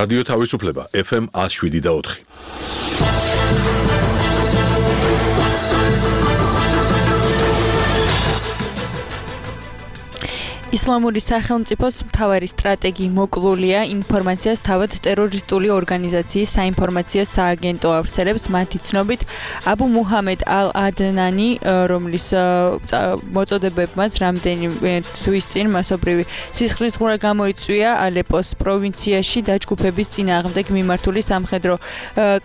რადიო თავისუფლება FM 107.4. ისლამური სახელმწიფოს მთავარი სტრატეგი მოკლულია ინფორმაციას თავად ტერორისტული ორგანიზაციის საინფორმაციო სააგენტო ავრცელებს მათი ცნობით აბუ მუჰამედ ალ-ადნანი რომლის მოწოდებებმაც რამდენიმე თვის წინ მასობრივი სისხლისღვრა გამოიწვია ალეპოს პროვინციაში დაჯგუფების წინააღმდეგ მიმართული სამხედრო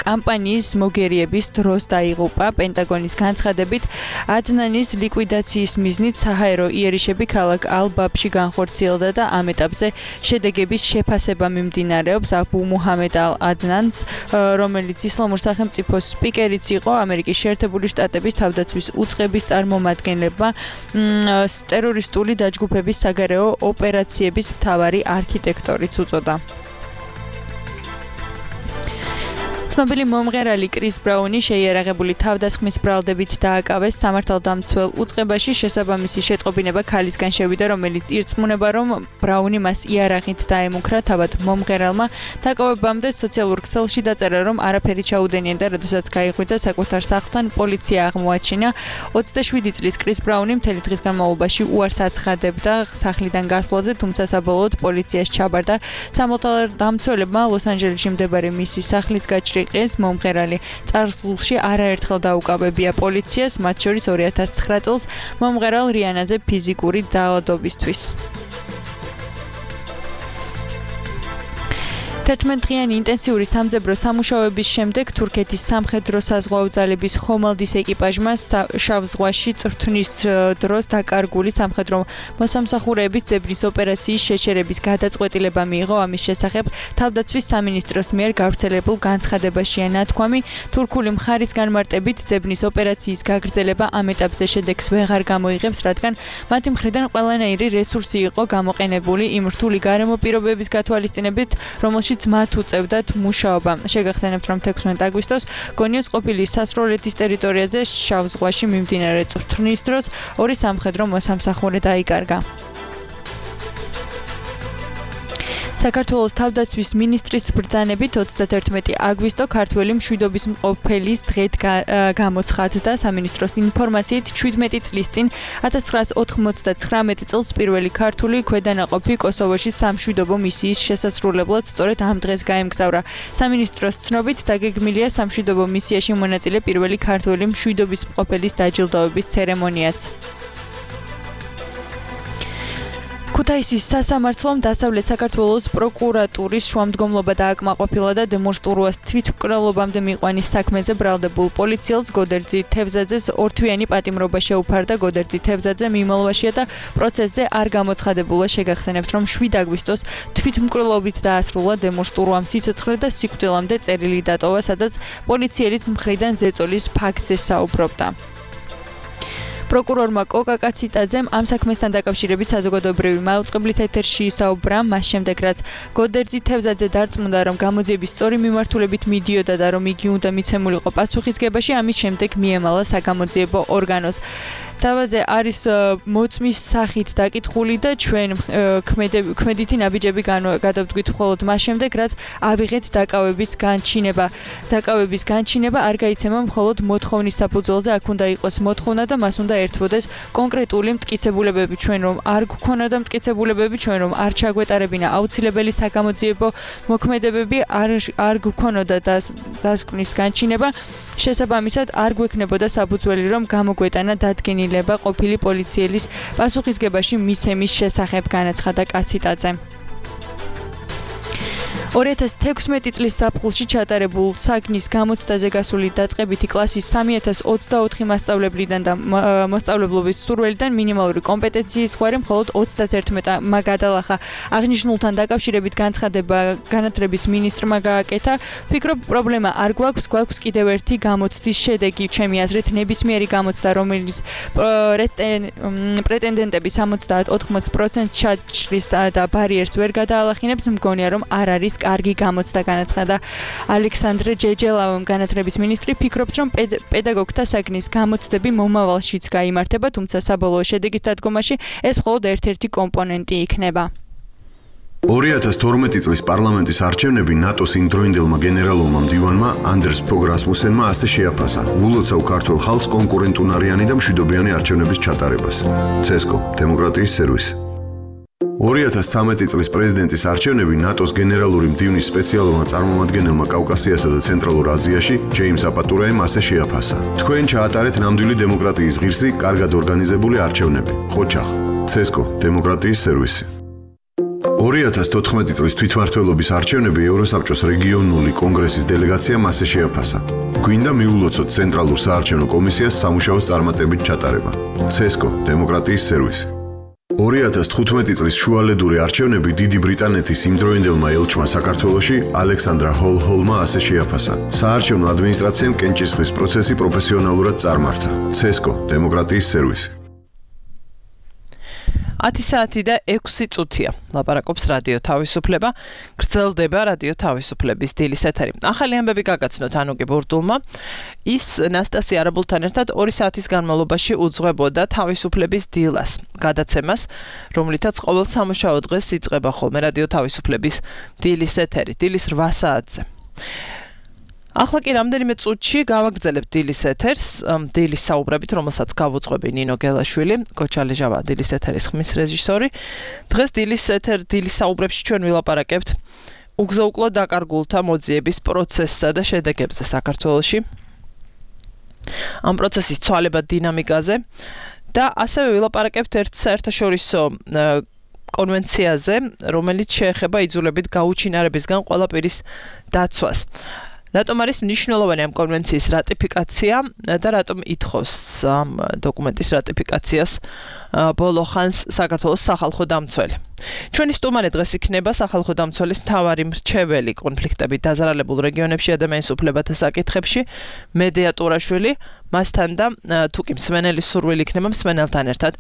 კამპანიის მოგერიების დროს დაიღუპა პენტაგონის განცხადებით ადნანის ლიკვიდაციის მიზნით საჰაერო იერიშები ქალაქ ალბაბში განხორციელდა და ამ ეტაპზე შედეგების შეფასება მიმდინარეობს აბუ მუჰამედ ალ-ადნანს, რომელიც ისლამურ სახელმწიფოს სპიკერიც იყო ამერიკის შეერთებული შტატების თავდაცვის უწყების წარმომადგენლებმა ტერორისტული დაჯგუფების საგარეო ოპერაციების მთავარი არქიტექტორიც უწოდა. ცნობილი მომღერალი კრის ბრაუნი შეიარაღებული თავდასხმის ბრალდებით დააკავეს სამართალდამცველ უწყებაში შესაბამისი შეტყობინება ქალისგან შევიდა, რომელიც ირწმუნება, რომ ბრაუნი მას იარაღით დაემუქრა. თავად მომღერალმა დაკავებამდე სოციალურ ქსელში დაწერა, რომ არაფერი ჩაუდენია და როდესაც გაიღვიძა საკუთარ სახლთან, პოლიცია აღმოაჩინა. 27 წლის კრის ბრაუნი მთელი დღის განმავლობაში უარს აცხადებდა სახლიდან გასვლაზე, თუმცა საბოლოოდ პოლიციას ჩაბარდა. სამართალდამცველებმა ლოს-ანჯელესში მდებარე მისი სახლის გაჭრილ მომღერალი წარსულში არაერთხელ დაუკავებია პოლიციას, მათ შორის 2009 წელს მომღერალ რიანაზე ფიზიკური დაავადებისთვის. 11-დღიანი ინტენსიური სამძებრო სამუშაოების შემდეგ თურქეთის სამხედრო-საზღვაო ძალების ხომალდის ეკიპაჟმა შავ ზღვაში წრთნის დროს დაკარგული სამხედრო მოსამსახურეების ძებნის ოპერაციის შეჩერების გადაწყვეტილება მიიღო. ამის შესახებ თავდაცვის სამინისტროს მიერ გავრცელებულ განცხადებაშია ნათქვამი, თურქული მხარის განმარტებით ძებნის ოპერაციის გაგრძელება ამ ეტაპზე შედეგს ვეღარ გამოიღებს, რადგან მათი მხრიდან ყველანაირი რესურსი იყო გამოყენებული იმ რთული გარემო პირობების გათვალისწინებით, რომელშიც მათ უწევდათ მუშაობა. შეგახსენებთ, რომ 16 აგვისტოს გონიოს ყოფილი სასროლეთის ტერიტორიაზე შავ ზღვაში მიმდინარე წრთნის დროს ორი სამხედრო მოსამსახურე დაიკარგა. საქართველოს თავდაცვის მინისტრის ბრძანებით 31 აგვისტო ქართველი მშვიდობის მყოფელის დღედ გამოცხადდა. სამინისტროს ინფორმაციით 17 წლის წინ 1999 წელს პირველი ქართული ქვედანაყოფი კოსოვოში სამშვიდობო მისიის შესასრულებლად სწორედ ამ დღეს გაემგზავრა. სამინისტროს ცნობით დაგეგმილია სამშვიდობო მისიაში მონაწილე პირველი ქართველი მშვიდობის მყოფელის დაჯილდოების ცერემონიაც. ქუთაისის სასამართლომ დასავლეთ საქართველოს პროკურატურის შუამდგომლობა დააკმაყოფილა და დემონსტრუას თვითმკვლელობამდე მიყვანის საქმეზე ბრალდებულ პოლიციელს გოდერძი თევზაძეს ორთვიანი პატიმრობა შეუფარდა. გოდერძი თევზაძე მიმალვაშია და პროცესზე არ გამოცხადებულა. შეგახსენებთ, რომ 7 აგვისტოს თვითმკვლელობით დაასრულა დემონსტრუამ სიცოცხლე და სიკვდილამდე წერილი დატოვა, სადაც პოლიციელის მხრიდან ზეწოლის ფაქტზე საუბრობდა. პროკურორმა კოკა კაციტაძემ ამ საქმესთან დაკავშირებით საზოგადოებრივი მაუწყებლის ეთერში ისაუბრა, მას შემდეგ რაც გოდერძი თევზაძე დარწმუნდა, რომ გამოძიების სწორი მიმართულებით მიდიოდა და რომ იგი უნდა მიცემულიყო პასუხისგებაში, ამის შემდეგ მიემალა საგამოძიებო ორგანოს. თავაზე არის მოწმის სახით დაკითხული და ჩვენ ქმედითი ნაბიჯები გადავდგით მხოლოდ მას შემდეგ, რაც ავიღეთ დაკავების განჩინება. დაკავების განჩინება არ გაიცემა მხოლოდ მოთხოვნის საფუძველზე, აქ უნდა იყოს მოთხოვნა და მას უნდა ერთვოდეს კონკრეტული მტკიცებულებები. ჩვენ რომ არ გვქონოდა მტკიცებულებები, ჩვენ რომ არ ჩაგვეტარებინა აუცილებელი საგამოძიებო მოქმედებები, არ გვქონოდა დასკვნის განჩინება, შესაბამისად არ გვექნებოდა საფუძველი, რომ გამოგვეტანა დადგენილება ყოფილი პოლიციელის პასუხისგებაში მიცემის შესახებ, განაცხადა კაციტაძემ. 2016 წლის საფხულში ჩატარებულ საგნის გამოცდაზე გასული დაწყებითი კლასის 3024 მასწავლებლიდან და მოსწავლებლობის სურველიდან მინიმალური კომპეტენციის ზღვარი მხოლოდ 31-მა გადალახა. აღნიშნულთან დაკავშირებით განცხადება განათლების მინისტრმა გააკეთა. ვფიქრობ, პრობლემა არ გვაქვს, გვაქვს კიდევ ერთი გამოცდის შედეგი. ჩემი აზრით, ნებისმიერი გამოცდა, რომელიც პრეტენდენტები 70-80% ჩაჭრის და ბარიერს ვერ გადაალახინებს, მგონია, რომ არ არის კარგი გამოცდა, განაცხადა ალექსანდრე ჯეჯელავამ. განათლების მინისტრი ფიქრობს, რომ პედაგოგთა საგნის გამოცდები მომავალშიც გაიმართება, თუმცა საბოლოო შედეგის დადგომაში ეს მხოლოდ ერთ-ერთი კომპონენტი იქნება. 2012 წლის პარლამენტის არჩევნები ნატოს იმდროინდელმა გენერალურმა მდივანმა ანდერს ფოგ რასმუსენმა ასე შეაფასა ვულოცავ ქართულ ხალხს კონკურენტუნარიანი და მშვიდობიანი არჩევნების ჩატარებას. CESCO დემოკრატიის სერვისი 2013 წლის პრეზიდენტის არჩევნები ნატოს გენერალური მდივნის სპეციალურმა წარმომადგენელმა კავკასიასა და ცენტრალურ აზიაში ჯეიმს აპატურაემ ასე შეაფასა. თქვენ ჩაატარეთ ნამდვილი დემოკრატიის ღირსი, კარგად ორგანიზებული არჩევნები. ხოჩახ. CESCO დემოკრატიის სერვისი 2014 წლის თვითმმართველობის არჩევნები ევროსაბჭოს რეგიონული კონგრესის დელეგაციამ ასე შეაფასა. გვინდა მიულოცოთ ცენტრალურ საარჩევნო კომისიას სამუშაოს წარმატებით ჩატარება. CESCO დემოკრატიის სერვისი 2015 წლის შუალედური არჩევნები დიდი ბრიტანეთის იმდროინდელმა ელჩმა საქართველოში ალექსანდრა ჰოლჰოლმა ასე შეაფასა. საარჩევნო ადმინისტრაციამ კენჭისყრის პროცესი პროფესიონალურად წარმართა. CESCO დემოკრატიის სერვისი 10 საათი და 6 წუთია. ლაპარაკობს რადიო თავისუფლება. გრძელდება რადიო თავისუფლების დილის ეთერი. ახალი ამბები გაგაცნოთ ანუკი ბურდულმა. ის ნასტასია არაბულთან ერთად 2 საათის განმავლობაში უძღვებოდა თავისუფლების დილას, გადაცემას, რომლითაც ყოველ სამუშაო დღეს იწყება ხოლმე რადიო თავისუფლების დილის ეთერი, დილის 8 საათზე. ახლა კი რამდენიმე წუთში გავაგრძელებთ დილის ეთერს, დილის საუბრებით, რომელსაც გავუძღვები ნინო გელაშვილი, კოჩალეჟავა დილის ეთერის ხმის რეჟისორი. დღეს დილის საუბრებში ჩვენ ვილაპარაკებთ უგზო-უკლო დაკარგულთა მოძიების პროცესსა და შედეგებზე საქართველოში. ამ პროცესის ცვალებად დინამიკაზე და ასევე ვილაპარაკებთ ერთ საერთაშორისო კონვენციაზე, რომელიც შეეხება იძულებით გაუჩინარებისგან ყველა პირის დაცვას. რატომ არის მნიშვნელოვანი ამ კონვენციის რატიფიკაცია და რატომ ითხოვს ამ დოკუმენტის რატიფიკაციას ბოლო ხანს საქართველოს სახალხო დამცველი. ჩვენი სტუმარი დღეს იქნება სახალხო დამცველის მთავარი მრჩეველი კონფლიქტებით დაზარალებულ რეგიონებში ადამიანის უფლებათა საკითხებში მედეა ტურაშვილი. მასთან და თუ კი მსმენელი სურვილი იქნება მსმენელთან ერთად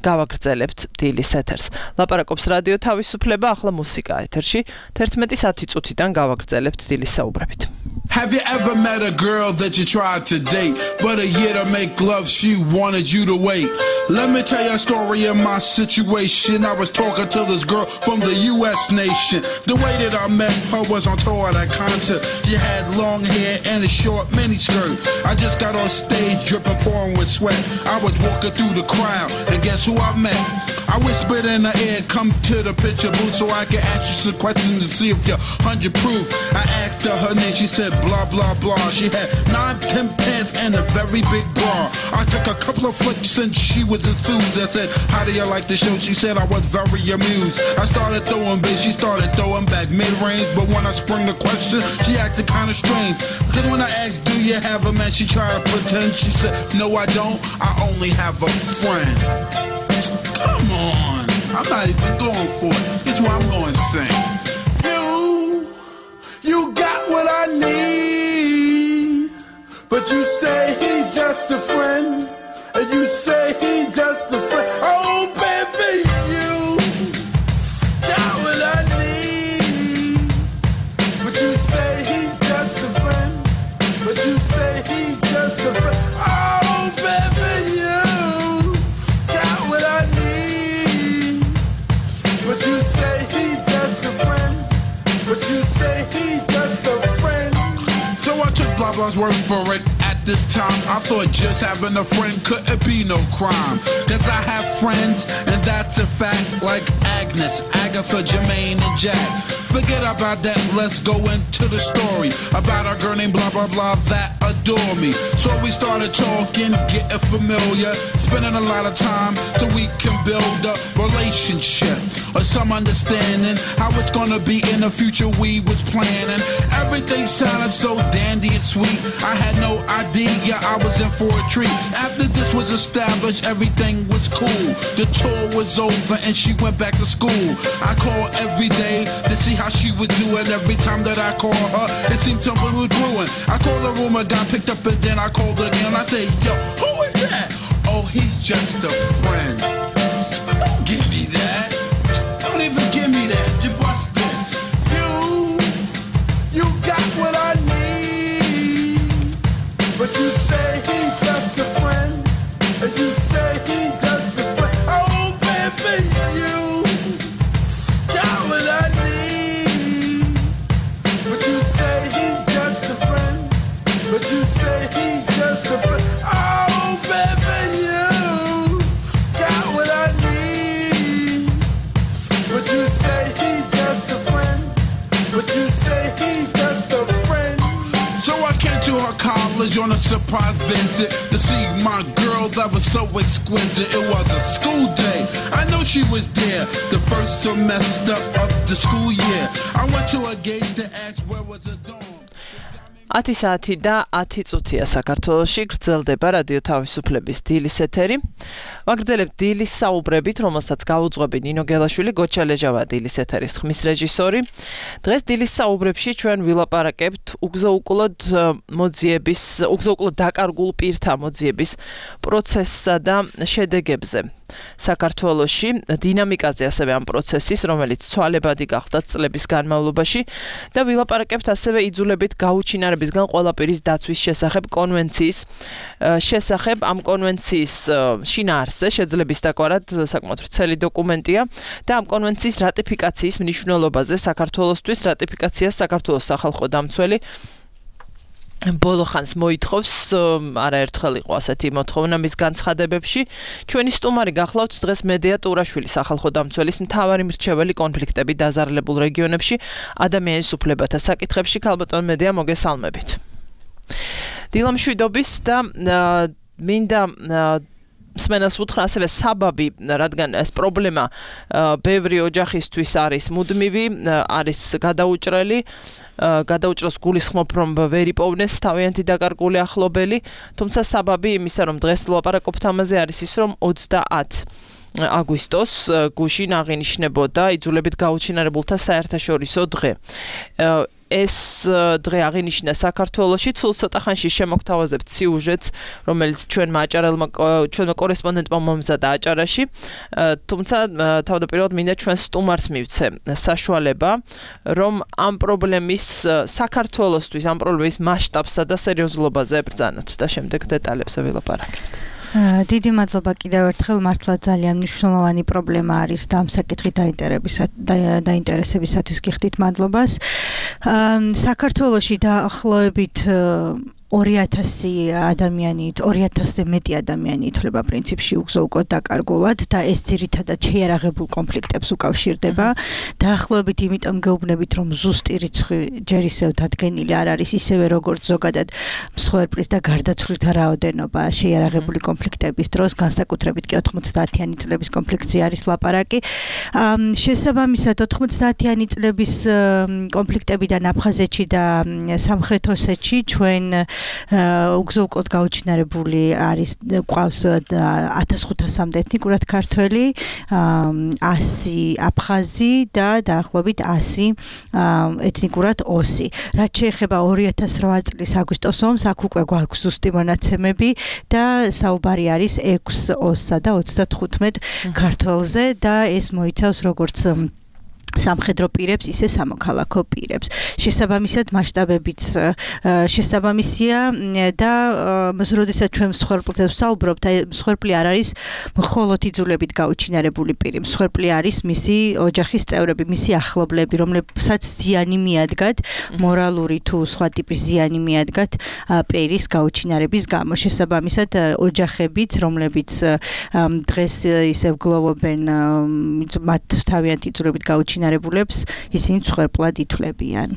გავაგრძელებთ დილის ეთერს. ლაპარაკობს რადიო თავისუფლება, ახლა მუსიკა ეთერში 11:10 წუთიდან გავაგრძელებთ დილის საუბრებით. Have you ever met a girl that you tried to date, but a year to make love she wanted you to wait? Let me tell you a story of my situation. I was talking to this girl from the US nation. The way that I met her was on tour at a concert. She had long hair and a short miniskirt. I just got on stage dripping, pouring with sweat. I was walking through the crowd and guess who I met? I whispered in her ear, come to the picture booth so I can ask you some questions to see if you're 100 proof. I asked her name, she said blah blah blah. She had 9-10 pants and a very big bra. I took a couple of flicks and she was enthused. I said, how do you like the show? She said I was very amused. I started throwing bass, she started throwing back mid-range. But when I sprung the question, she acted kind of strange. Because when I asked, do you have a man? She tried to pretend. She said, no I don't, I only have a friend. Come on, I'm not even going for it. This is what I'm going to sing. You got what I need, but you say he's just a friend, and you say he's just a friend. Oh baby, you got what I need, but you say he's just a friend, but you say he's just a friend. Oh baby, you got what I need, but you say he's just a friend, but you say he's just a friend. So I took blah blah's word for it. At this time I thought just having a friend couldn't be no crime, cause I have friends and that's a fact, like Agnes, Agatha, Jermaine and Jack. Forget about that, let's go into the story about a girl named blah blah blah that adore me. So we started talking, getting familiar, spending a lot of time so we can build a relationship or some understanding how it's gonna be in the future. We was planning, everything sounded so dandy and sweet. I had no idea I was in for a treat. After this was established, everything was cool. The tour was over and she went back to school. I called every day to see how she was doing. Every time that I called her, it seemed something was brewing. I called the room, I got picked up and then I called again. I said, yo, who is that? Oh, he's just a friend. Don't give me that. Don't even give me that. Just watch this. You got what I need, but you say he's just a friend, and you say he's just a friend. Oh baby, you got what I need. on a surprise visit to see my girl that was so exquisite. It was a school day. I know she was there the first semester of the school year. I went to a gate to ask where was the dorm. 10 საათი და 10 წუთია საქართველოში გრძელდება რადიო თავისუფლების დილის ეთერი. ვაგრძელებთ დილის საუბრებით, რომელსაც გაუძღვები ნინო გელაშვილი, გოჩა ლეჟავა დილის ეთერის ხმის რეჟისორი. დღეს დილის საუბრებში ჩვენ ვილაპარაკებთ უგზოუკვლოდ დაკარგულ პირთა მოძიების პროცესსა და შედეგებზე. საქართველოში დინამიკაზე ასევე ამ პროცესის, რომელიც ცვალებადი გახდა წლების განმავლობაში და ვილაპარაკებთ ასევე იძულებით გაუჩინარებისგან ყველაპირის დაცვის შესახებ კონვენციის შესახებ. ამ კონვენციის შინაარსზე შეძლების დაკვარად საკმაოდ ვრცელი დოკუმენტია და ამ კონვენციის რატიფიკაციის მნიშვნელობაზე საქართველოსთვის რატიფიკაციას საქართველოს სახალხო დამცველი ბოლო ხანს მოითხოვს, არაერთხელ იყო ასეთი მოთხოვნა მის განცხადებებში. ჩვენი სტუმარი გახლავთ დღეს მედია ტურაშვილი, სახალხო დამცველის მთავარი მრჩეველი კონფლიქტები დაზარალებულ რეგიონებში ადამიანის უფლებათა საკითხებში. ქალბატონ მედია, მოგესალმებით. დილამშვიდობის და მინდა მსმენელს უთხრა ასევე საბაბი, რადგან ეს პრობლემა ბევრი ოჯახისთვის არის მუდმივი, არის გადაუჭრელს გულისხმობ, რომ ვერ იპოვნეს თავიანთი დაკარგული ახლობელი, თუმცა საბაბი იმისა, რომ დღეს ვლაპარაკობთ ამაზე, არის ის, რომ 30 აგვისტოს გუშინ აღინიშნებოდა იძულებით გაუჩინარებულთა საერთაშორისო დღე. ეს დღე აღინიშნა საქართველოში, სულ ცოტა ხანში შემოგთავაზებთ სიუჟეტს, რომელიც ჩვენმა კორესპონდენტმა მომზადა აჭარაში, თუმცა თავდაპირველად მინდა ჩვენ სტუმარს მივცე საშუალება, რომ ამ პრობლემის საქართველოსთვის, ამ პრობლემის მასშტაბსა და სერიოზულობაზე ებრძანოთ და შემდეგ დეტალებზე ვილაპარაკებთ. დიდი მადლობა კიდევ ერთხელ, მართლა ძალიან მნიშვნელოვანი პრობლემა არის და ამ საკითხით დაინტერესებისათვის გიხდით მადლობას. საქართველოში დაახლოებით 2000 ადამიანი, 2000-ზე მეტი ადამიანი ითვლება პრინციპში უგზოუკოდ დაკარგულად და ეს ძირითადად შეიარაღებულ კონფლიქტებს უკავშირდება. დაახლოებით იმიტომ გეუბნებით, რომ ზუსტი რიცხვი ჯერ ისევ დადგენილი არ არის, ისევე როგორც ზოგადად მსხვერპლის და გარდაცვლითა რაოდენობა შეიარაღებული კონფლიქტების დროს, განსაკუთრებით კი 90-იანი წლების კონფლიქტზე არის ლაპარაკი. შესაბამისად 90-იანი წლების კონფლიქტებიდან აფხაზეთში და სამხრეთ ოსეთში ჩვენ უგზოუკოდ გაუჩინარებული არის, ყავს 1500-მდე ეთნიკურად ქართველი, 100 აფხაზი და დაახლოებით 100 ეთნიკურად ოსი. რაც შეეხება 2008 წლის აგვისტოს ომს, აქ უკვე გვაქვს ზუსტი მონაცემები და საუბარი არის 6 ოსსა და 35 ქართველზე და ეს მოიცავს როგორც სამხედრო პირებს, ისე სამოქალაქო პირებს. შესაბამისად მასშტაბებიც შესაბამისია და როდესაც ჩვენ მსხვერპლზე ვსაუბრობთ, მსხვერპლი არ არის მხოლოდ იძულებით გაუჩინარებული პირი, მსხვერპლი არის მისი ოჯახის წევრები, მისი ახლობლები, რომლებსაც ზიანი მიადგათ, მორალური თუ სხვა ტიპის ზიანი მიადგათ პირის გაუჩინარების გამო. შესაბამისად ოჯახებიც, რომლებიც დღეს ისევ გლოვობენ მათ თავიანთი იძულებით გაუჩინარებულებს, ისინი მსხვერპლად ითვლებიან.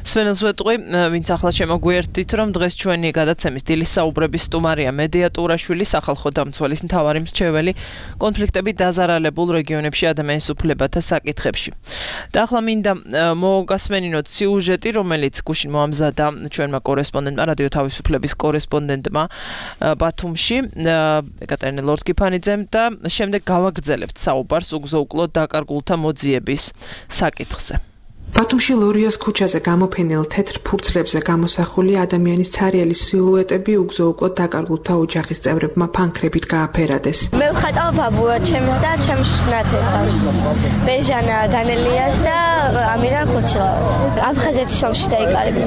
სვენელს ვეტყვი, ვინც ახლა შემოგვიერთდით, რომ დღეს ჩვენი გადაცემის დილის საუბრების სტუმარია მედია ტურაშვილი, სახალხო დამცველის მთავარი მრჩეველი კონფლიქტები დაზარალებულ რეგიონებში ადამიანის უფლებათა საკითხებში. და ახლა მინდა მოგასმენინოთ სიუჟეტი, რომელიც გუშინ მოამზადა ჩვენმა კორესპონდენტმა, რადიო თავისუფლების კორესპონდენტმა ბათუმში, ეკატერინე ლორდ-კიფანიძემ და შემდეგ გავაგრძელებთ საუბარს უგზოუკლოდ დაკარგულთა მოძიების საკითხზე. ბათუმში ლორიას ქუჩაზე გამოფენილ თეთრ ფურცლებზე გამოსახული ადამიანის ცარიელი სილუეტები უგზოუკლოდ დაკარგულთა ოჯახის წევრებმა ფანქრებით გააფერადეს. მე ვხატავ ბაბუა ჩემს და ჩემს ნათესავს. ბეჟანა დანელიას და ამირან ხურჩილავას. აფხაზეთის ომში დაიკარგა.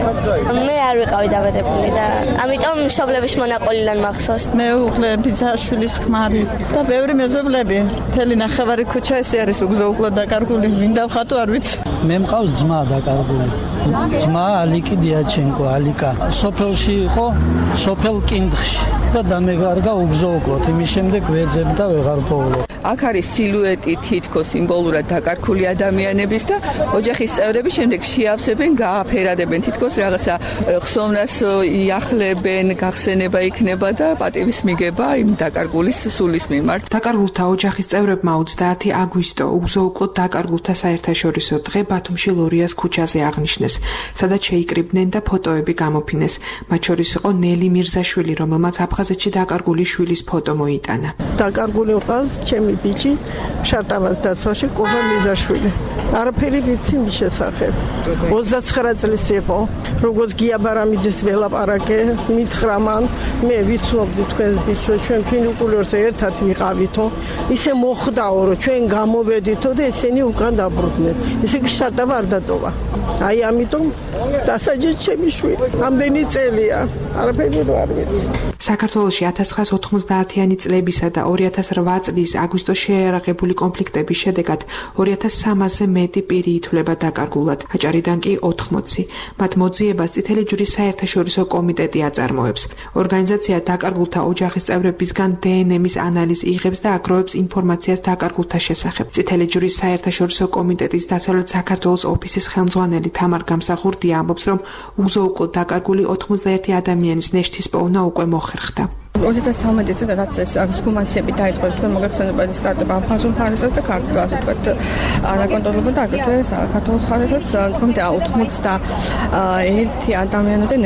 მე არ ვიყავი დაბადებული და ამიტომ მშობლების მონაყოლიდან მახსოვს. მე უხლე ბიძაშვილის ხმარი და ბევრი მეზობლები. მთელი ნახევარი ქუჩა ესე არის უგზოუკლოდ დაკარგული. ვინ დავხატო არ ვიცი. მე მყავს ძმა დაკარგული. ძმა ალიკი დიაჩენკო, ალიკა. სოფელში იყო, სოფელ კინდხში და დამეგარგა უგზოუკლოდ. იმის შემდეგ ვეძებ და ვეღარ პოულობ. აქ არის სილუეტი თითქოს სიმბოლურად დაკარგული ადამიანების და ოჯახის წევრები შემდეგ შეავსებენ, გააფერადებენ თითქოს რაღაცა ხსოვნას იახლებენ, გახსენება იქნება და პატივის მიგება იმ დაკარგულის სულის მიმართ. დაკარგულთა ოჯახის წევრებმა 30 აგვისტო უგზო-უკვლოდ დაკარგულთა საერთაშორისო დღე ბათუმში ლორიას ქუჩაზე აღნიშნეს, სადაც შეიკრიბნენ და ფოტოები გამოფინეს. მათ შორის იყო ნელი მირზაშვილი, რომელმაც აფხაზეთში დაკარგული შვილის ფოტო მოიტანა. დაკარგული ყავს ჩემი ბიჭი შარტავას დაცვაში კოვა მირზაშვილი. არაფერი ვიცი მის შესახებ. 29 წლის იყო, როგორც გია ბარამიძის ველაპარაკე, მითხრა მან, მე ვიცნობდი თქვენს ბიჭს, რომ ჩვენ ფინიკულორზე ერთად ვიყავითო, ისე მოხდაო, რომ ჩვენ გამოვედითო და ესენი უკან დაბრუნდნენ. ისე კი შარტავა არ დატოვა. აი ამიტომ დასაჯეს ჩემი შვილი. ამდენი წელია, არაფერი არ ვიცი. საქართველოში 1990-იანი წლებისა და 2008 წლის აგვისტოს შეიარაღებული კონფლიქტების შედეგად 2300-ზე მეტი პირი ითვლება დაკარგულად, აჭარიდან კი 80. მათ მოძიებას წითელი ჯვრის საერთაშორისო კომიტეტი აწარმოებს. ორგანიზაცია დაკარგულთა ოჯახის წევრებისგან დნმ-ის ანალიზს იღებს და აგროვებს ინფორმაციას დაკარგულთა შესახებ. წითელი ჯვრის საერთაშორისო კომიტეტის დასავლეთ საქართველოს ოფისის ხელმძღვანელი თამარ გამსახურდია ამბობს, რომ უგზო-უკვლოდ დაკარგული 91 ადამიანის ნეშთის პოვნა უკვე მოხერხდა. 2013 წელს რაც ეს ექსჰუმაციები დაიწყო, თქვენ მოგეხსენებათ სტარტაპ აფხაზურ მხარესაც და ქართულ ასე ვთქვათ არაკონტროლებულ და აგრეთვე საქართველოს მხარესაც თქო 91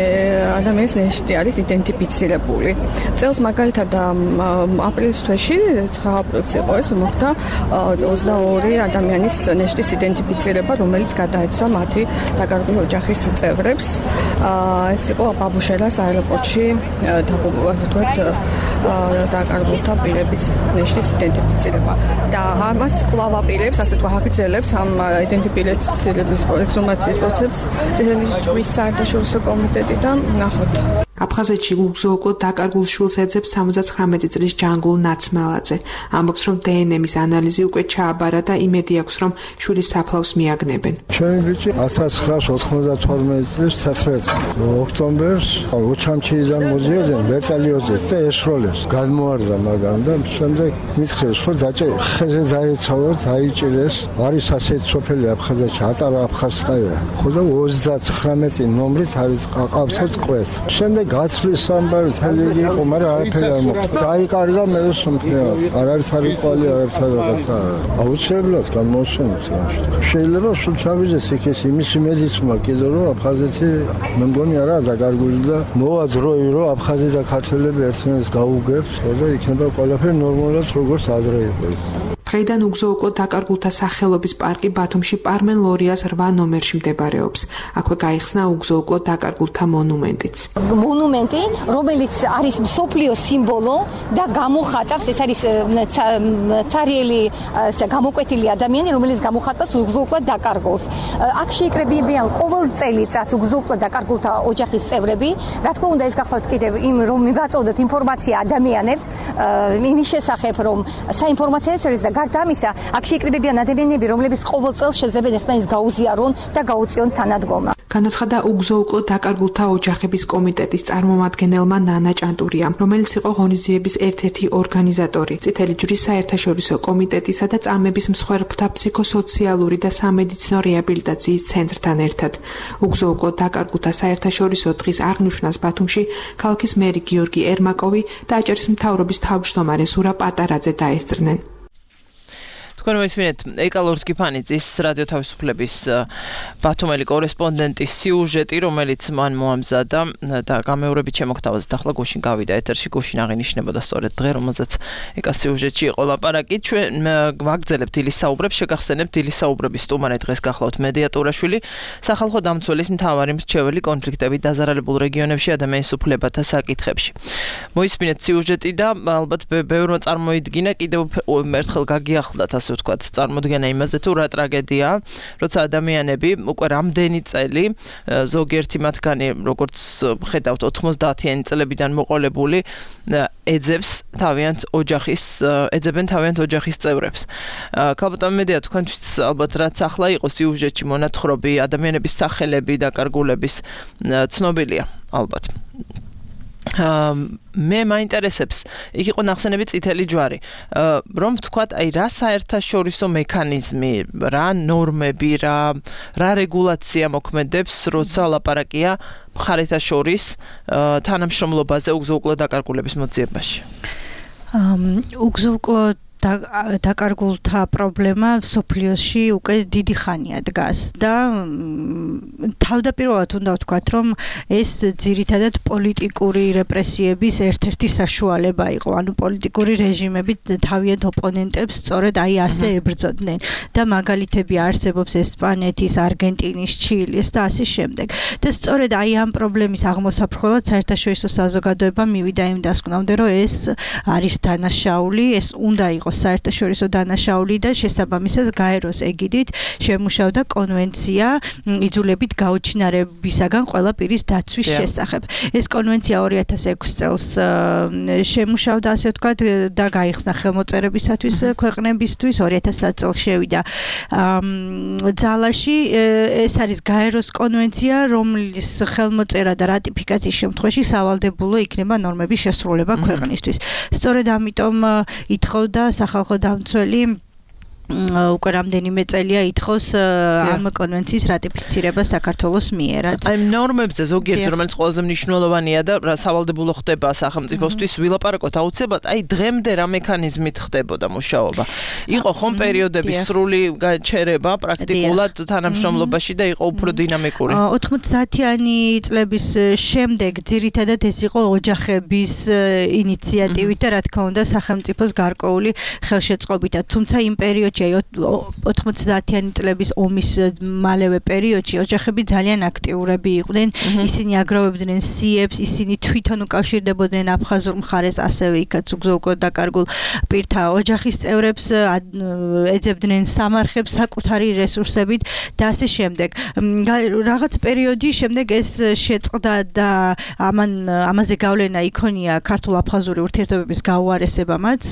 ადამიანის ნეშტი არის იდენტიფიცირებული. წელს მაგალითად აპრილის თვეში 9 აპრილს იყო ეს მოხდა 22 ადამიანის ნეშტის იდენტიფიცირება, რომელიც გადაეცვა მათი დაკარგული ოჯახის წევრებს. ეს იყო ბაბუშელას აეროპორტში ასე ვთქვათ დაკარგულთა პირების ნეშტის იდენტიფიცირება და ამას კვლავ აპირებს, ასე თქვა, აგრძელებს ამ იდენტიფიცირების ექსჰუმაციის პროცესს წითელი ჯვრის საერთაშორისო კომიტეტი და ნახოთ. აფხაზეთში უგზო-უკვლოდ დაკარგულ შვილს ეძებს 79 წლის ჯანგულ ნაცმელაძე. ამბობს, რომ დნმ-ის ანალიზი უკვე ჩააბარა და იმედი აქვს, რომ შვილის საფლავს მიაგნებენ. ჩემი ბიჭი 1992 წლის 11 ოქტომბერს ოჩამჩიიდან მოზიოდნენ ვერწალიოზეს და ეშროლეს. გადმოარდა მაგამ და შემდეგ მისხრეს, რომ ხეზე დაეცავოთ, დაიჭირეს. არის ასეთი სოფელი აფხაზეთში, აწარა აფხაზკაია. ხო და 39 წინ ნომრით არის ყავთო წყვეს. შემდეგ გაცვლის სამბარი თელიგი იყო, მაგრამ არაფერი არ მოხდა. დაიკარგა მე სომხნევას. არ არის არიყვალი, არაფერი რაღაცა. აუცილებლად გამოსვენებს ამაში. შეიძლება სულ ჩავიდეს იქეს იმის მეზიცმა კიდე რომ აფხაზეთი მე მგონი არაა დაკარგული და მოვა დროი რომ აფხაზი და ქართველები ერთმანეთს გაუგებს და იქნება ყველაფერი ნორმალურად როგორც ადრე იყო. დღეიდან უგზო-უკვლოდ დაკარგულთა სახელობის პარკი ბათუმში პარმენ ლორიას 8 ნომერში მდებარეობს. აქვე გაიხსნა უგზო-უკვლოდ დაკარგულთა მონუმენტიც. მონუმენტი, რომელიც არის მსოფლიოს სიმბოლო და გამოხატავს, ეს არის ცარიელი გამოკვეთილი ადამიანი, რომელიც გამოხატავს უგზო-უკვლოდ დაკარგულს. აქ შეიკრებიან ყოველ წელიწადს უგზო-უკვლოდ დაკარგულთა ოჯახის წევრები. რა თქმა უნდა, ეს გახლავთ კიდევ იმ რომ მივაწოდოთ ინფორმაცია ადამიანებს იმის შესახებ, რომ საინფორმაციო წერილს და გარდა ამისა, აქ შეიკრიბებიან ადამიანები, რომლებიც ყოველ წელს შეძლებენ ერთმანეთს გაუზიარონ და გაუწიონ თანადგომა. განაცხადა უგზო-უკვლოდ დაკარგულთა ოჯახების კომიტეტის წარმომადგენელმა ნანა ჭანტურიამ, რომელიც იყო ღონისძიების ერთ-ერთი ორგანიზატორი, წითელი ჯვრის საერთაშორისო კომიტეტისა და წამების მსხვერპლთა ფსიქოსოციალური და სამედიცინო რეაბილიტაციის ცენტრთან ერთად. უგზო-უკვლოდ დაკარგულთა საერთაშორისო დღის აღნიშვნას ბათუმში ქალაქის მერი გიორგი ერმაკოვი და აჭარის მთავრობის თავმჯდომარე ზურა პატარაძე დაესწრნენ. თქვენ მოისმინეთ ეკალორ ტკიფანიძის რადიო თავისუფლების ბათუმელი კორესპონდენტის სიუჟეტი, რომელიც მან მოამზადა და გამეორებით შემოგთავაზეთ. ახლა გუშინ გავიდა ეთერში, გუშინ აღინიშნებოდა სწორედ დღე, რომელზეც ეკას სიუჟეტში იყო ლაპარაკი. ჩვენ ვაგრძელებთ დილის საუბრებს, შეგახსენებთ დილის საუბრების სტუმარი დღეს გახლავთ მედიატურაშვილი, სახალხო დამცველის მთავარი მრჩეველი კონფლიქტებით დაზარალებულ რეგიონებში ადამიანის უფლებათა საკითხებში. მოისმინეთ სიუჟეტი და ალბათ ბევრმა წარმოიდგინა, კიდევ ერთხელ გაგიახლდათ ასე ვთქვათ, წარმოდგენა იმაზე თუ რა ტრაგედია, როცა ადამიანები უკვე რამდენი წელი, ზოგიერთი მათგანი, როგორც ხედავთ 90-იანი წლებიდან მოყოლებული, ეძებენ თავიანთ ოჯახის წევრებს. ქალბატონ მედია, თქვენთვის ალბათ რაც ახლა იყო სიუჟეტში მონათხრობი, ადამიანების სახელები, დაკარგულების ცნობილია ალბათ. მე მაინტერესებს, იქ იყო ნახსენები წითელი ჯვარი, რომ ვთქვათ, აი რა საერთაშორისო მექანიზმი, რა ნორმები, რა რეგულაცია მოქმედებს, როცა ლაპარაკია მხარეთა შორის თანამშრომლობაზე უგზო-უკვლო დაკარგულების მოძიებაში. უგზო-უკვლო დაკარგულთა პრობლემა სოფლიოში უკვე დიდი ხანია დგას და თავდაპირველად უნდა ვთქვათ, რომ ეს ძირითადად პოლიტიკური რეპრესიების ერთ-ერთი საშუალება იყო. ანუ პოლიტიკური რეჟიმები თავიანთ ოპონენტებს სწორედ აი ასე ებრძოდნენ და მაგალითები არსებობს ესპანეთის, არგენტინის, ჩილეს და ასე შემდეგ. და სწორედ აი ამ პრობლემის აღმოსაფრხველად საერთაშორისო საზოგადოება მივიდა იმ დასკვნამდე, რომ ეს არის დანაშაული, ეს უნდა იყოს საერთაშორისო დანაშაული და შესაბამისად გაეროს ეგიდით შემუშავდა კონვენცია იძულებით გაუჩინარებისაგან ყველა პირის დაცვის შესახებ. ეს კონვენცია 2006 წელს შემუშავდა, ასე ვთქვათ, და გაიხსნა ხელმოწერებისათვის ქვეყნებისთვის, 2000 წელს შევიდა ძალაში. ეს არის გაეროს კონვენცია, რომლის ხელმოწერა და რატიფიკაციის შემთხვევაში სავალდებულო იქნება ნორმების შესრულება ქვეყნისთვის. სწორედ ამიტომ ითხოვდა სახალხო დამცველი უკვე რამდენიმე წელია ითხოვს ამ კონვენციის რატიფიცირება საქართველოს მიერაც. აი ნორმებზე ზოგიერთი, რომელიც ყველაზე მნიშვნელოვანია და სავალდებულო ხდება სახელმწიფოსთვის, ვილაპარაკოთ აუცილებლად, აი დღემდე რა მექანიზმით ხდებოდა მუშაობა. იყო ხომ პერიოდების სრული გაჩერება პრაქტიკულად თანამშრომლობაში და იყო უფრო დინამიკური. 90-იანი წლების შემდეგ ძირითადად ეს იყო ოჯახების ინიციატივით და რა თქმა უნდა სახელმწიფოს გარკვეული ხელშეწყობით. თუმცა იმ პერიოდში 90-იანი წლების ომის მალევე პერიოდში ოჯახები ძალიან აქტიურები იყვნენ, ისინი აგროვებდნენ სიებს, ისინი თვითონ უკავშირდებოდნენ აფხაზურ მხარეს, ასევე იქაც უგზო-უკვლო დაკარგულ პირთა ოჯახის წევრებს, ეძებდნენ სამარხებს საკუთარი რესურსებით და ასე შემდეგ. რაღაც პერიოდის შემდეგ ეს შეწყდა და ამაზე გავლენა იქონია ქართულ-აფხაზური ურთიერთობების გაუარესებამაც.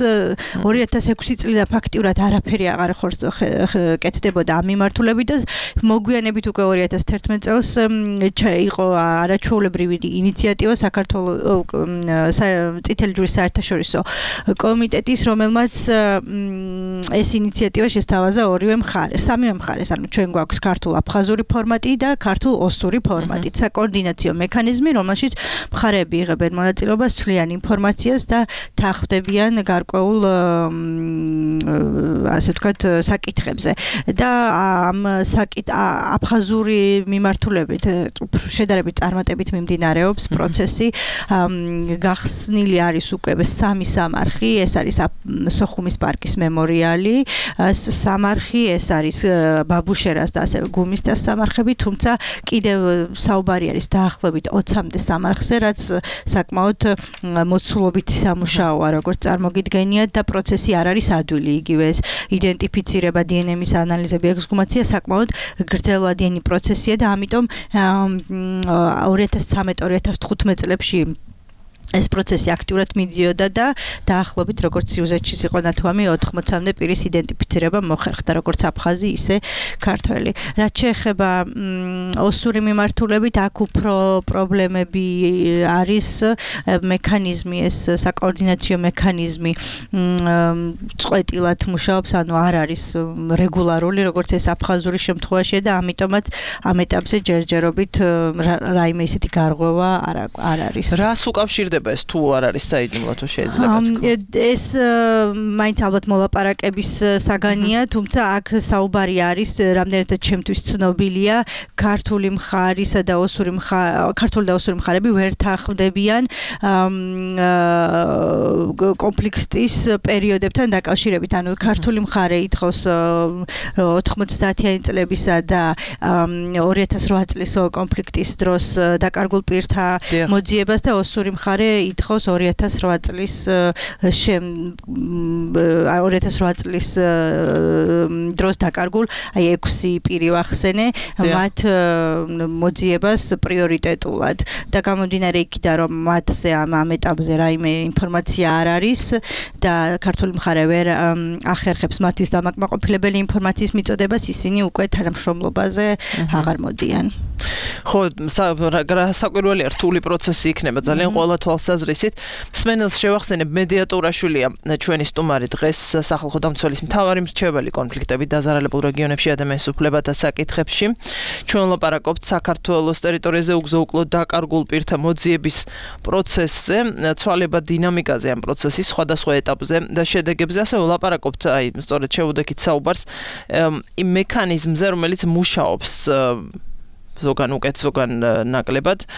2006 წლიდან ფაქტიურად არაფერი აღარ კეთდებოდა ამ მიმართულებით და მოგვიანებით უკვე 2011 წელს იყო არაჩვეულებრივი ინიციატივა საქართველოს წითელი ჯვრის საერთაშორისო კომიტეტის, რომელმაც ეს ინიციატივა შესთავაზა სამივე მხარეს, ანუ ჩვენ გვაქვს ქართულ-აფხაზური ფორმატი და ქართულ-ოსური ფორმატი, საკოორდინაციო მექანიზმი, რომელშიც მხარეები იღებენ მონაწილეობას, ცვლიან ინფორმაციას და თანხმდებიან გარკვეულ ასე ვთქვათ საკითხებზე და ამ აფხაზური მიმართულებით შედარებით წარმატებით მიმდინარეობს პროცესი. გახსნილი არის უკვე 3 სამარხი, ეს არის სოხუმის პარკის მემორიალი, სამარხი, ეს არის ბაბუშერას და ასევე გუმისთას სამარხები, თუმცა კიდევ საუბარი არის დაახლოებით 20-მდე სამარხზე, რაც საკმაოდ მოცულობითი სამუშაოა, როგორც წარმოგიდგენიათ და პროცესი არ არის ადვილი, იგივე ეს იდენტიფიცირება, დნმ-ის ანალიზები, ექსჰუმაცია საკმაოდ გრძელვადიანი პროცესია და ამიტომ 2013-2015 წლებში ეს პროცესი აქტიურად მიდიოდა და დაახლოებით როგორც სიუჟეტში იყო ნათქვამი 80-მდე პირის იდენტიფიცირება მოხერხდა, როგორც აფხაზი, ისე ქართველი. რაც შეეხება ოსური მიმართულებით, აქ უფრო პრობლემები არის, მექანიზმი, ეს საკოორდინაციო მექანიზმი წყვეტილად მუშაობს, ანუ არ არის რეგულარული, როგორც ეს აფხაზური შემთხვევაში და ამიტომაც ამ ეტაპზე ჯერჯერობით რაიმე ისეთი გარღვევა არ არის. რას უკავშირდება ეს თუ არ არის საიდუმლო თუ შეიძლება ეს მაინც ალბათ მოლაპარაკების საგანია, თუმცა აქ საუბარი არის, რამდენადაც ჩემთვის ცნობილია, ქართული მხარისა და ოსური მხარები ვერ თანხმდებიან კონფლიქტის პერიოდებთან დაკავშირებით. ანუ ქართული მხარე ითხოვს 90-იანი წლებისა და 2008 წლის კონფლიქტის დროს დაკარგულ პირთა მოძიებას და ოსური მხარე ითხოვს 2008 წლის 2008 წლის დროს დაკარგულ, აი 6 პირი ვახსენე, მათ მოძიებას პრიორიტეტულად და გამომდინარე იქიდან, რომ მათზე ამ ეტაპზე რაიმე ინფორმაცია არ არის და ქართული მხარე ვერ ახერხებს მათთვის დამაკმაყოფილებელი ინფორმაციის მიწოდებას, ისინი უკვე თანამშრომლობაზე აღარ მოდიან. ხო, საკვირველია რთული პროცესი იქნება ძალიან ყველა თვალსაზრისით. მსმენელს შევახსენებ მედიატორაშვილია ჩვენი სტუმარი დღეს სახალხო დამცველის მთავარი მრჩეველი კონფლიქტებით დაზარალებულ რეგიონებში ადამიანის უფლებათა საკითხებში. ჩვენ ვლაპარაკობთ საქართველოს ტერიტორიაზე უგზო-უკლოდ დაკარგულ პირთა მოძიების პროცესზე, ცვალებად დინამიკაზე ამ პროცესის სხვადასხვა ეტაპზე და შედეგებზე. ასე ვლაპარაკობთ სწორედ შეუდექით საუბარს იმ მექანიზმზე, რომელიც მუშაობს ზოგან უკეთ, ზოგან ნაკლებად,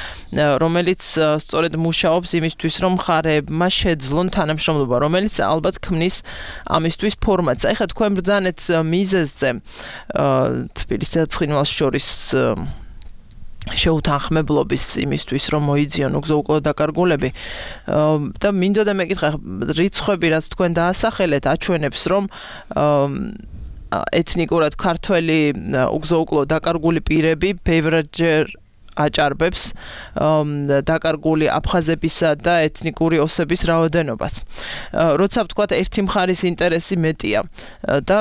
რომელიც სწორედ მუშაობს იმისთვის, რომ მხარეებმა შეძლონ თანამშრომლობა, რომელიც ალბათ ქმნის ამისთვის ფორმატს. აი ხა თქვენ ბრძანეთ მიზეზზე თბილისსა და ცხინვალს შორის შეუთანხმებლობის იმისთვის, რომ მოიძიონ უგზო-უკლოდ დაკარგულები და მინდოდა მეკითხა რიცხვები, რაც თქვენ დაასახელეთ, აჩვენებს, რომ ეთნიკურად ქართველი უგზო-უკლოდ დაკარგული პირები ბევრჯერ აჭარბებს დაკარგული აფხაზებისა და ეთნიკური ოსების რაოდენობას. როცა ვთქვათ, ერთი მხარის ინტერესი მეტია და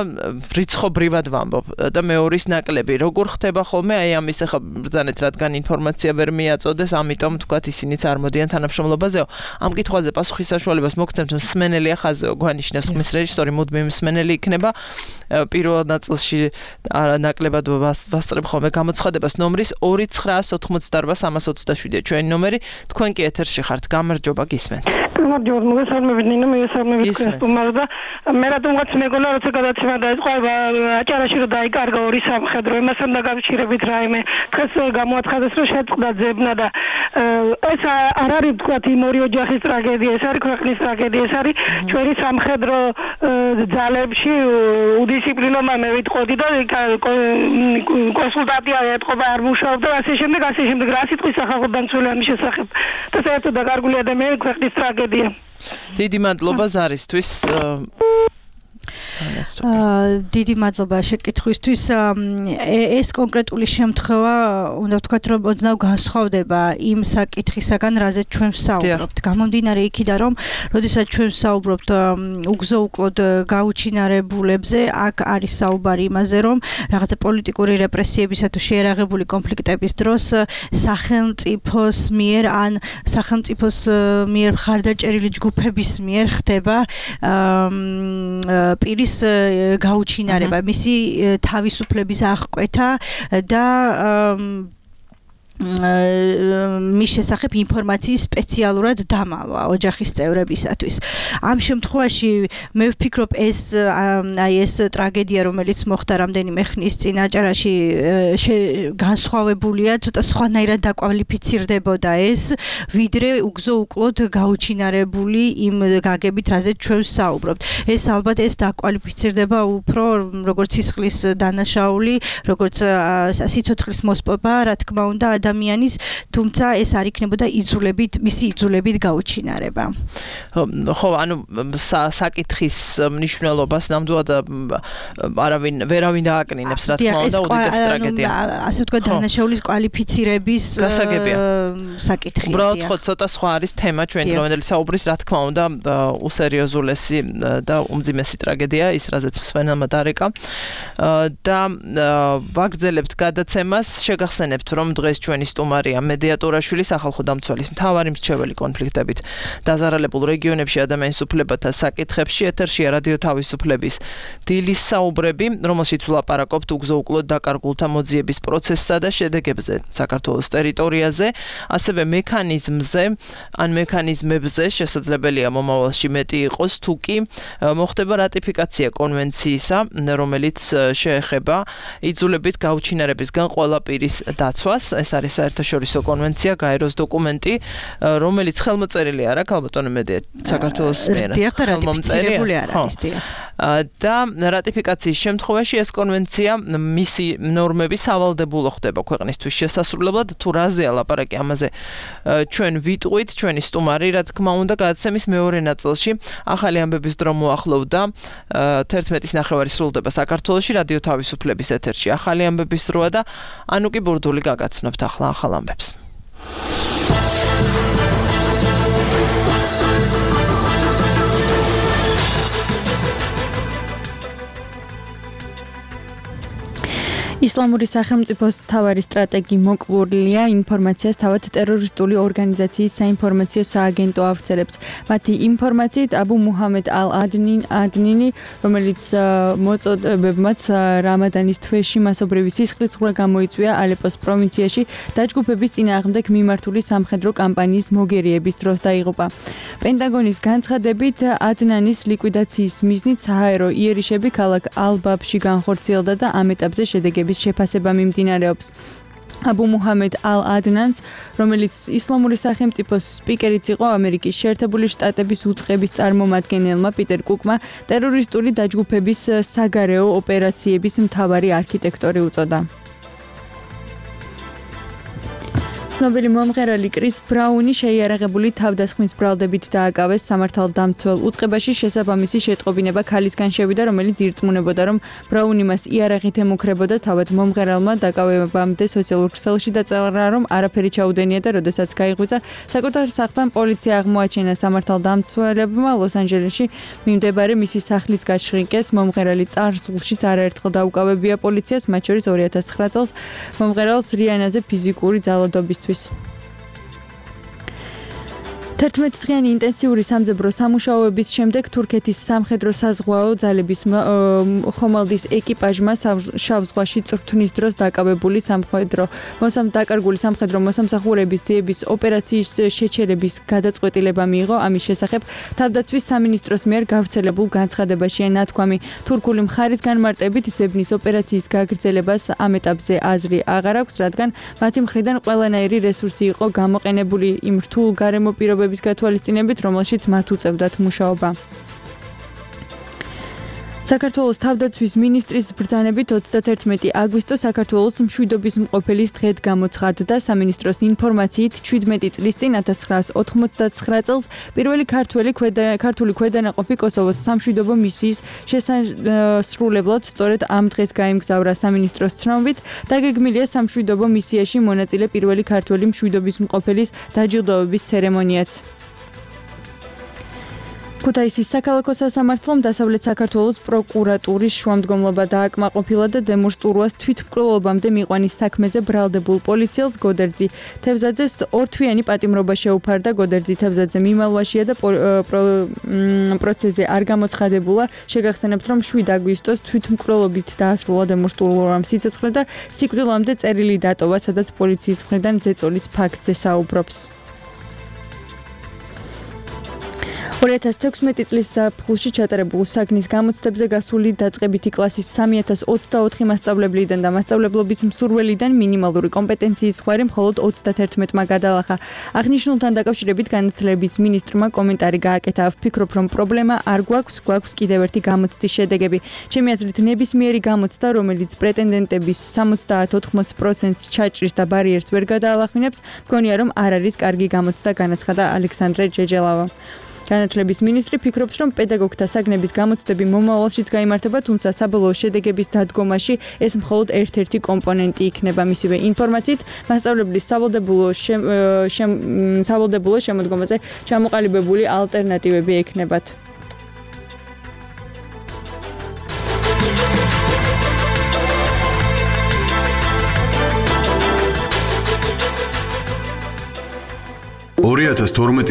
რიცხობრივად ვამბობ და მეორის ნაკლები, როგორ ხდება ხოლმე აი ამის ახლა ბრძანეთ, რადგან ინფორმაცია ვერ მიაწოდეს, ამიტომ ვთქვათ, ისინიც არ მოდიან თანამშრომლობაზეო. ამ კითხვაზე პასუხის საშუალებას მოგცემთ, მსმენელი ახაზეო გვანიშნებს ხმის რეჟისორი, მუდმივი მსმენელი იქნება. პირველ ნაწილში ნაკლებად ვასწრებ ხოლმე გამოცხადებას ნომრის 2988327 ჩვენი ნომერი. თქვენ კი ეთერში ხართ. გამარჯობა, გისმენთ. გამარჯობა, მოგესალმებით ნინო, მოგესალმებით სტუმარს და მე რატომღაც მეგონა როცა გადაცემა დაიწყო აჭარაში რომ დაიკარგა ორი სამხედრო, იმასთან დაკავშირებით რაიმე დღეს გამოაცხადეს რომ შეწყდა ძებნა და ეს არ არის თქვათ იმ ორი ოჯახის ტრაგედია, ეს არის ქვეყნის ტრაგედია, ეს არის ჩვენი სამხედრო ძალებში უდისციპლინომა მე ვიტყოდი და კონსულტაცია ეთყობა არ მუშაობდა ასე შემდეგ რა სიტყვის სახალხო დამცველი ამის შესახებ და საერთოდ დაკარგული ადამიანი ქვეყნის ტრაგედია. დიდი მადლობა ზარისთვის. დიდი მადლობა შეკითხვისთვის. ეს კონკრეტული შემთხვევა უნდა ვთქვათ, რომ ოდნავ განსხვავდება იმ საკითხისაგან, რაზეც ჩვენ ვსაუბრობთ. გამომდინარე იქიდან, რომ როდესაც ჩვენ ვსაუბრობთ უგზო-უკლოდ გაუჩინარებულებზე, აქ არის საუბარი იმაზე, რომ რაღაცა პოლიტიკური რეპრესიებისა თუ შეერაღებული კონფლიქტების დროს სახელმწიფოს მიერ ან სახელმწიფოს მიერ მხარდაჭერილი ჯგუფების მიერ ხდება პირის გაუჩინარება, მისი თავისუფლების აღკვეთა და მის შესახებ ინფორმაციის სპეციალურად დამალვა ოჯახის წევრებისათვის. ამ შემთხვევაში მე ვფიქრობ ეს ტრაგედია, რომელიც მოხდა რამდენიმე ხნის წინ აჭარაში განსხვავებულია, ცოტა სხვანაირად დაკვალიფიცირდებოდა ეს, ვიდრე უგზო-უკლოდ გაუჩინარებული იმ გაგებით, რაზეც ჩვენ ვსაუბრობთ. ეს ალბათ ეს დაკვალიფიცირდება უფრო როგორც სისხლის დანაშაული, როგორც სიცოცხლის მოსპობა, რა თქმა უნდა, ადამიანის, თუმცა ეს არ იქნებოდა მისი იძულებით გაუჩინარება. ხო, ანუ საკითხის მნიშვნელობას ნამდვილად ვერავინ დააკნინებს, რა თქმა უნდა, უდიდეს ტრაგედია. ასე ვთქვათ, დანაშაულის კვალიფიცირების საკითხია. უბრალოდ ხო ცოტა სხვა არის თემა ჩვენ დღევანდელი საუბრის, რა თქმა უნდა, უსერიოზულესი და უმძიმესი ტრაგედია, ის რაზეც მსმენელმა დარეკა. და ვაგრძელებთ გადაცემას, შეგახსენებთ, რომ დღეს ჩვენი სტუმარია მედიატორაშვილი, სახალხო დამცველის მთავარი მრჩეველი კონფლიქტებით დაზარალებულ რეგიონებში ადამიანის უფლებათა საკითხებში. ეთერშია რადიო თავისუფლების დილის საუბრები, რომელშიც ვლაპარაკობთ უგზო-უკლოდ დაკარგულთა მოძიების პროცესსა და შედეგებზე საქართველოს ტერიტორიაზე, ასევე მექანიზმზე, ან მექანიზმებზე, შესაძლებელია მომავალში მეტი იყოს, თუ კი მოხდება რატიფიკაცია კონვენციისა, რომელიც შეეხება იძულებით გაუჩინარებისგან ყველა პირის დაცვას. ეს არის საერთაშორისო კონვენცია, გაეროს დოკუმენტი, რომელიც ხელმოწერილი არ აქვს, ალბათ მედია საქართველოს მიერ ხელმომწერილი არ არის. და რატიფიკაციის შემთხვევაში ეს კონვენცია მისი ნორმები სავალდებულო ხდება ქვეყნისთვის შესასრულებლად. თუ რაზეა ლაპარაკი ამაზე ჩვენ ვიტყვით, ჩვენი სტუმარი, რა თქმა უნდა, გადაცემის მეორე ნაწილში ახალი ამბების დრო მოახლოვდა 11:30 სრულდება საქართველოში რადიო თავისუფლების ეთერში. ახალი ამბების დროა და ანუკი ბურდული გაგაცნობთ ახლა ახალ ამბებს. ისლამური სახელმწიფოს მთავარი სტრატეგი მოკლულია ინფორმაციას თავად ტერორისტული ორგანიზაციის საინფორმაციო სააგენტო ავრცელებს. მათი ინფორმაციით აბუ მუჰამედ ალ-ადნინი, რომელიც მოწოდებებმაც რამადანის თვეში მასობრივი სისხლისღვრა გამოიწვია ალეპოს პროვინციაში, დაჯგუფების წინააღმდეგ მიმართული სამხედრო კამპანიის მოგერიების დროს დაიღუპა. პენტაგონის განცხადებით ადნანის ლიკვიდაციის მიზნით საჰაერო იერიშები ქალაქ ალ-ბაბში განხორციელდა და ამ ეტაპზე შედეგების შეფასება მიმდინარეობს. აბუ მუჰამედ ალ-ადნანს, რომელიც ისლამური სახელმწიფოს სპიკერიც იყო, ამერიკის შეერთებული შტატების უწყების წარმომადგენელმა პიტერ კუკმა ტერორისტული დაჯგუფების საგარეო ოპერაციების მთავარი არქიტექტორი უწოდა. ცნობილი მომღერალი კრის ბრაუნი შეიარაღებული თავდასხმის ბრალდებით დააკავეს სამართალდამცველ უწყებაში. შესაბამისი შეტყობინება ქალისგან შევიდა, რომელიც ირწმუნებოდა, რომ ბრაუნი მას იარაღით ემუქრებოდა. თავად მომღერალმა დაკავებამდე სოციალურ ქსელში დაწერა, რომ არაფერი ჩაუდენია და როდესაც გაიღვიძა საკუთარ სახლთან, პოლიცია აღმოაჩინა. სამართალდამცველებმა ლოს-ანჯელესში მიმდებარე მისი სახლიც გაშრიკეს. მომღერალი წარსულშიც არაერთხელ დაუკავებია პოლიციას, მათ შორის 2009 წელს მომღერალს რიანაზე ფიზიკური ძალადობის 11 დღიანი ინტენსიური სამძებრო სამუშაოების შემდეგ თურქეთის სამხედრო საზღვაო ძალების ხომალდის ეკიპაჟმა შავ ზღვაში წვრთნის დროს დაკავებული დაკარგული სამხედრო მოსამსახურების ძიების ოპერაციის შეჩერების გადაწყვეტილება მიიღო. ამის შესახებ თავდაცვის სამინისტროს მიერ გავრცელებულ განცხადებაშია ნათქვამი. თურქული მხარის განმარტებით ძებნის ოპერაციის გაგრძელებას ამ ეტაპზე აზრი აღარ აქვს, რადგან მათი მხრიდან ყველანაირი რესურსი იყო გამოყენებული იმ რთულ გარემო პირობების გათვალისწინებით, რომელშიც მათ უწევდათ მუშაობა. საქართველოს თავდაცვის მინისტრის ბრძანებით 31 აგვისტოს საქართველოს მშვიდობის მყოფელის დღედ გამოცხადდა. სამინისტროს ინფორმაციით 17 წლის წინ 1999 წელს პირველი ქართული ქვედანაყოფი კოსოვოს სამშვიდობო მისიის შესასრულებლად სწორედ ამ დღეს გაემგზავრა. სამინისტროს ცნობით დაგეგმილია სამშვიდობო მისიაში მონაწილე პირველი ქართველი მშვიდობის მყოფელის დაჯილდოების ცერემონიაც. ქუთაისის საქალაქო სასამართლომ დასავლეთ საქართველოს პროკურატურის შუამდგომლობა დააკმაყოფილა და დემურ სტურუას თვითმკვლელობამდე მიყვანის საქმეზე ბრალდებულ პოლიციელს გოდერძი თევზაძეს ორთვიანი პატიმრობა შეუფარდა. გოდერძი თევზაძე მიმალვაშია და პროცესზე არ გამოცხადებულა. შეგახსენებთ, რომ 7 აგვისტოს თვითმკვლელობით დაასრულა დემურ სტურუამ სიცოცხლე და სიკვდილამდე წერილი დატოვა, სადაც პოლიციის მხრიდან ზეწოლის ფაქტზე საუბრობს. 2016 წლის ზაფხულში ჩატარებულ საგნის გამოცდებზე გასული დაწყებითი კლასის 3024 მასწავლებლიდან და მასწავლებლობის მსურველიდან მინიმალური კომპეტენციის ხვარი მხოლოდ 31-მა გადალახა. აღნიშნულთან დაკავშირებით განათლების მინისტრმა კომენტარი გააკეთა. ვფიქრობ, რომ პრობლემა არ გვაქვს კიდევ ერთი გამოცდის შედეგები. ჩემი აზრით, ნებისმიერი გამოცდა, რომელიც პრეტენდენტების 70-80% ჩაჭრის და ბარიერს ვერ გადაალახინებს, მგონია, რომ არ არის კარგი გამოცდა, განაცხადა ალექსანდრე ჯეჯელავა. განათლების მინისტრი ფიქრობს, რომ პედაგოგთა საგნების გამოცდები მომავალშიც გაიმართება, თუმცა საბოლოო შედეგების დადგომაში ეს მხოლოდ ერთ-ერთი კომპონენტი იქნება. მისივე ინფორმაციით, მასწავლებლის სავალდებულო შემოდგომაზე ჩამოყალიბებული ალტერნატივები ექნებათ.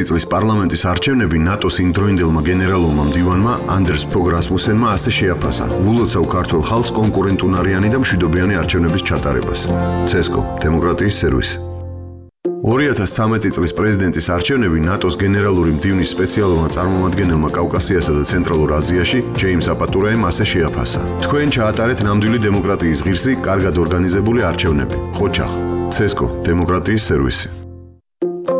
წლის პარლამენტის არჩევნები ნატოს იმდროინდელმა გენერალურმა მდივანმა ანდერს ფოგ რასმუსენმა ასე შეაფასა. ვულოცავ ქართულ ხალხს კონკურენტუნარიანი და მშვიდობიანი არჩევნების ჩატარებას. ცესკო, დემოკრატიის სერვისი. 2013 წლის პრეზიდენტის არჩევნები ნატოს გენერალური მდივნის სპეციალურმა წარმომადგენელმა კავკასიასა და ცენტრალურ აზიაში, ჯეიმს აპატურაემ ასე შეაფასა. თქვენ ჩაატარეთ ნამდვილი დემოკრატიის ღირსი, კარგად ორგანიზებული არჩევნები. ხოჩახ, ცესკო, დემოკრატიის სერვისი.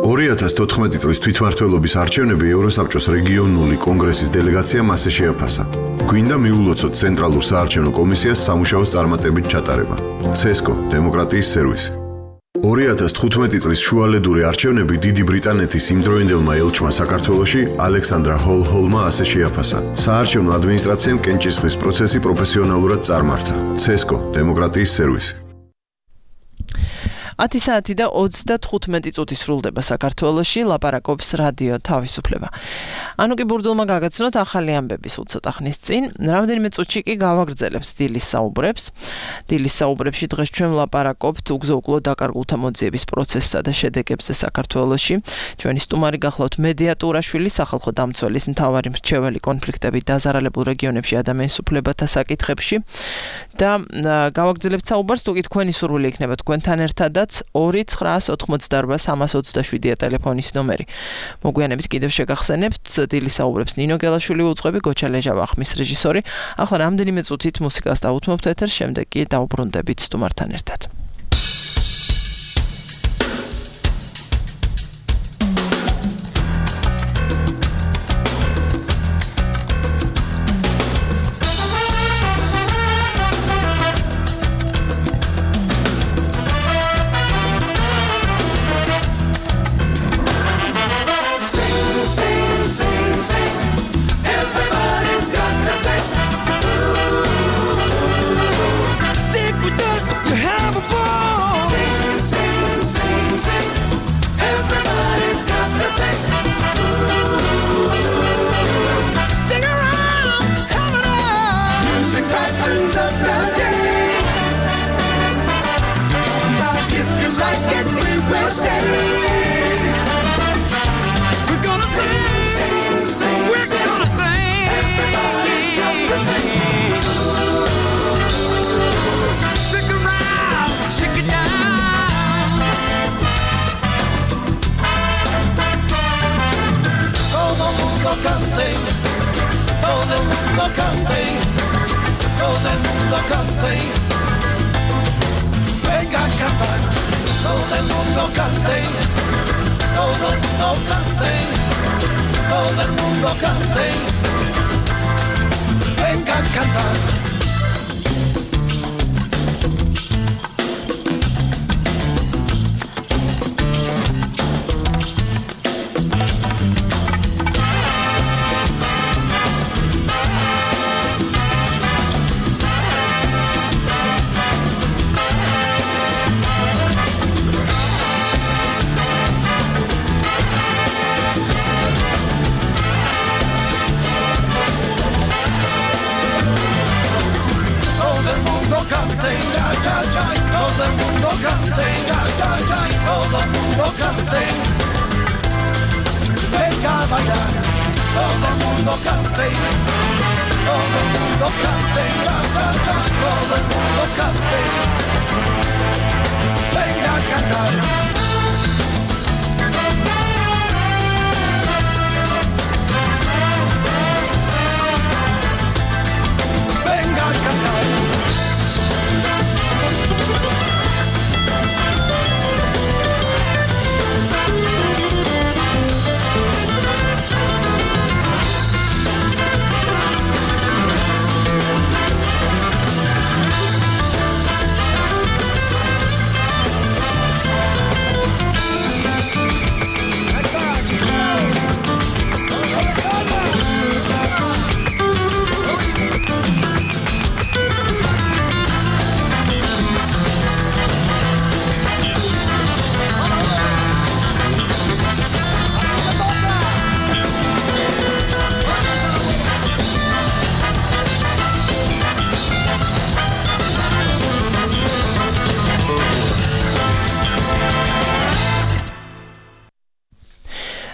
2014 წლის თვითმმართველობის არჩევნები ევროსაბჭოს რეგიონული კონგრესის დელეგაციამ ასე შეაფასა. გვინდა მიულოცოთ ცენტრალურ საარჩევნო კომისიას სამუშაოს წარმატებით ჩატარება. ცესკო, დემოკრატიის სერვისი. 2015 წლის შუალედური არჩევნები დიდი ბრიტანეთის იმდროინდელმა ელჩმა საქართველოში ალექსანდრა ჰოლჰოლმა ასე შეაფასა. საარჩევნო ადმინისტრაციამ კენჭისყრის პროცესი პროფესიონალურად წარმართა. ცესკო, დემოკრატიის სერვისი. 10 საათი და 35 წუთი სრულდება საქართველოში, ლაპარაკობს რადიო თავისუფლება. ანუ კი ბურდულმა გაგაცნოთ ახალი ამბები სულ ცოტა ხნის წინ. რამდენიმე წუთში კი გავაგრძელებთ დილის საუბრებს. დილის საუბრებში დღეს ჩვენ ვლაპარაკობთ უგზო-უკვლოდ დაკარგულთა მოძიების პროცესსა და შედეგებზე საქართველოში. ჩვენი სტუმარი გახლავთ მედია ტურაშვილი, სახალხო დამცველის მთავარი მრჩეველი კონფლიქტებით დაზარალებულ რეგიონებში ადამიანის უფლებათა საკითხებში და გავაგრძელებთ საუბარს, თუ კი თქვენი სურვილი იქნება თქვენთან ერთადაც 2988327 ტელეფონის ნომერი. მოგვიანებით კიდევ შეგახსენებთ დილის საუბრებს ნინო გელაშვილი უძღვები, გოჩა ლეჟავა ხმის რეჟისორი. ახლა რამდენიმე წუთით მუსიკას დავუთმობთ ეთერს, შემდეგ კი დავუბრუნდებით სტუმართან ერთად.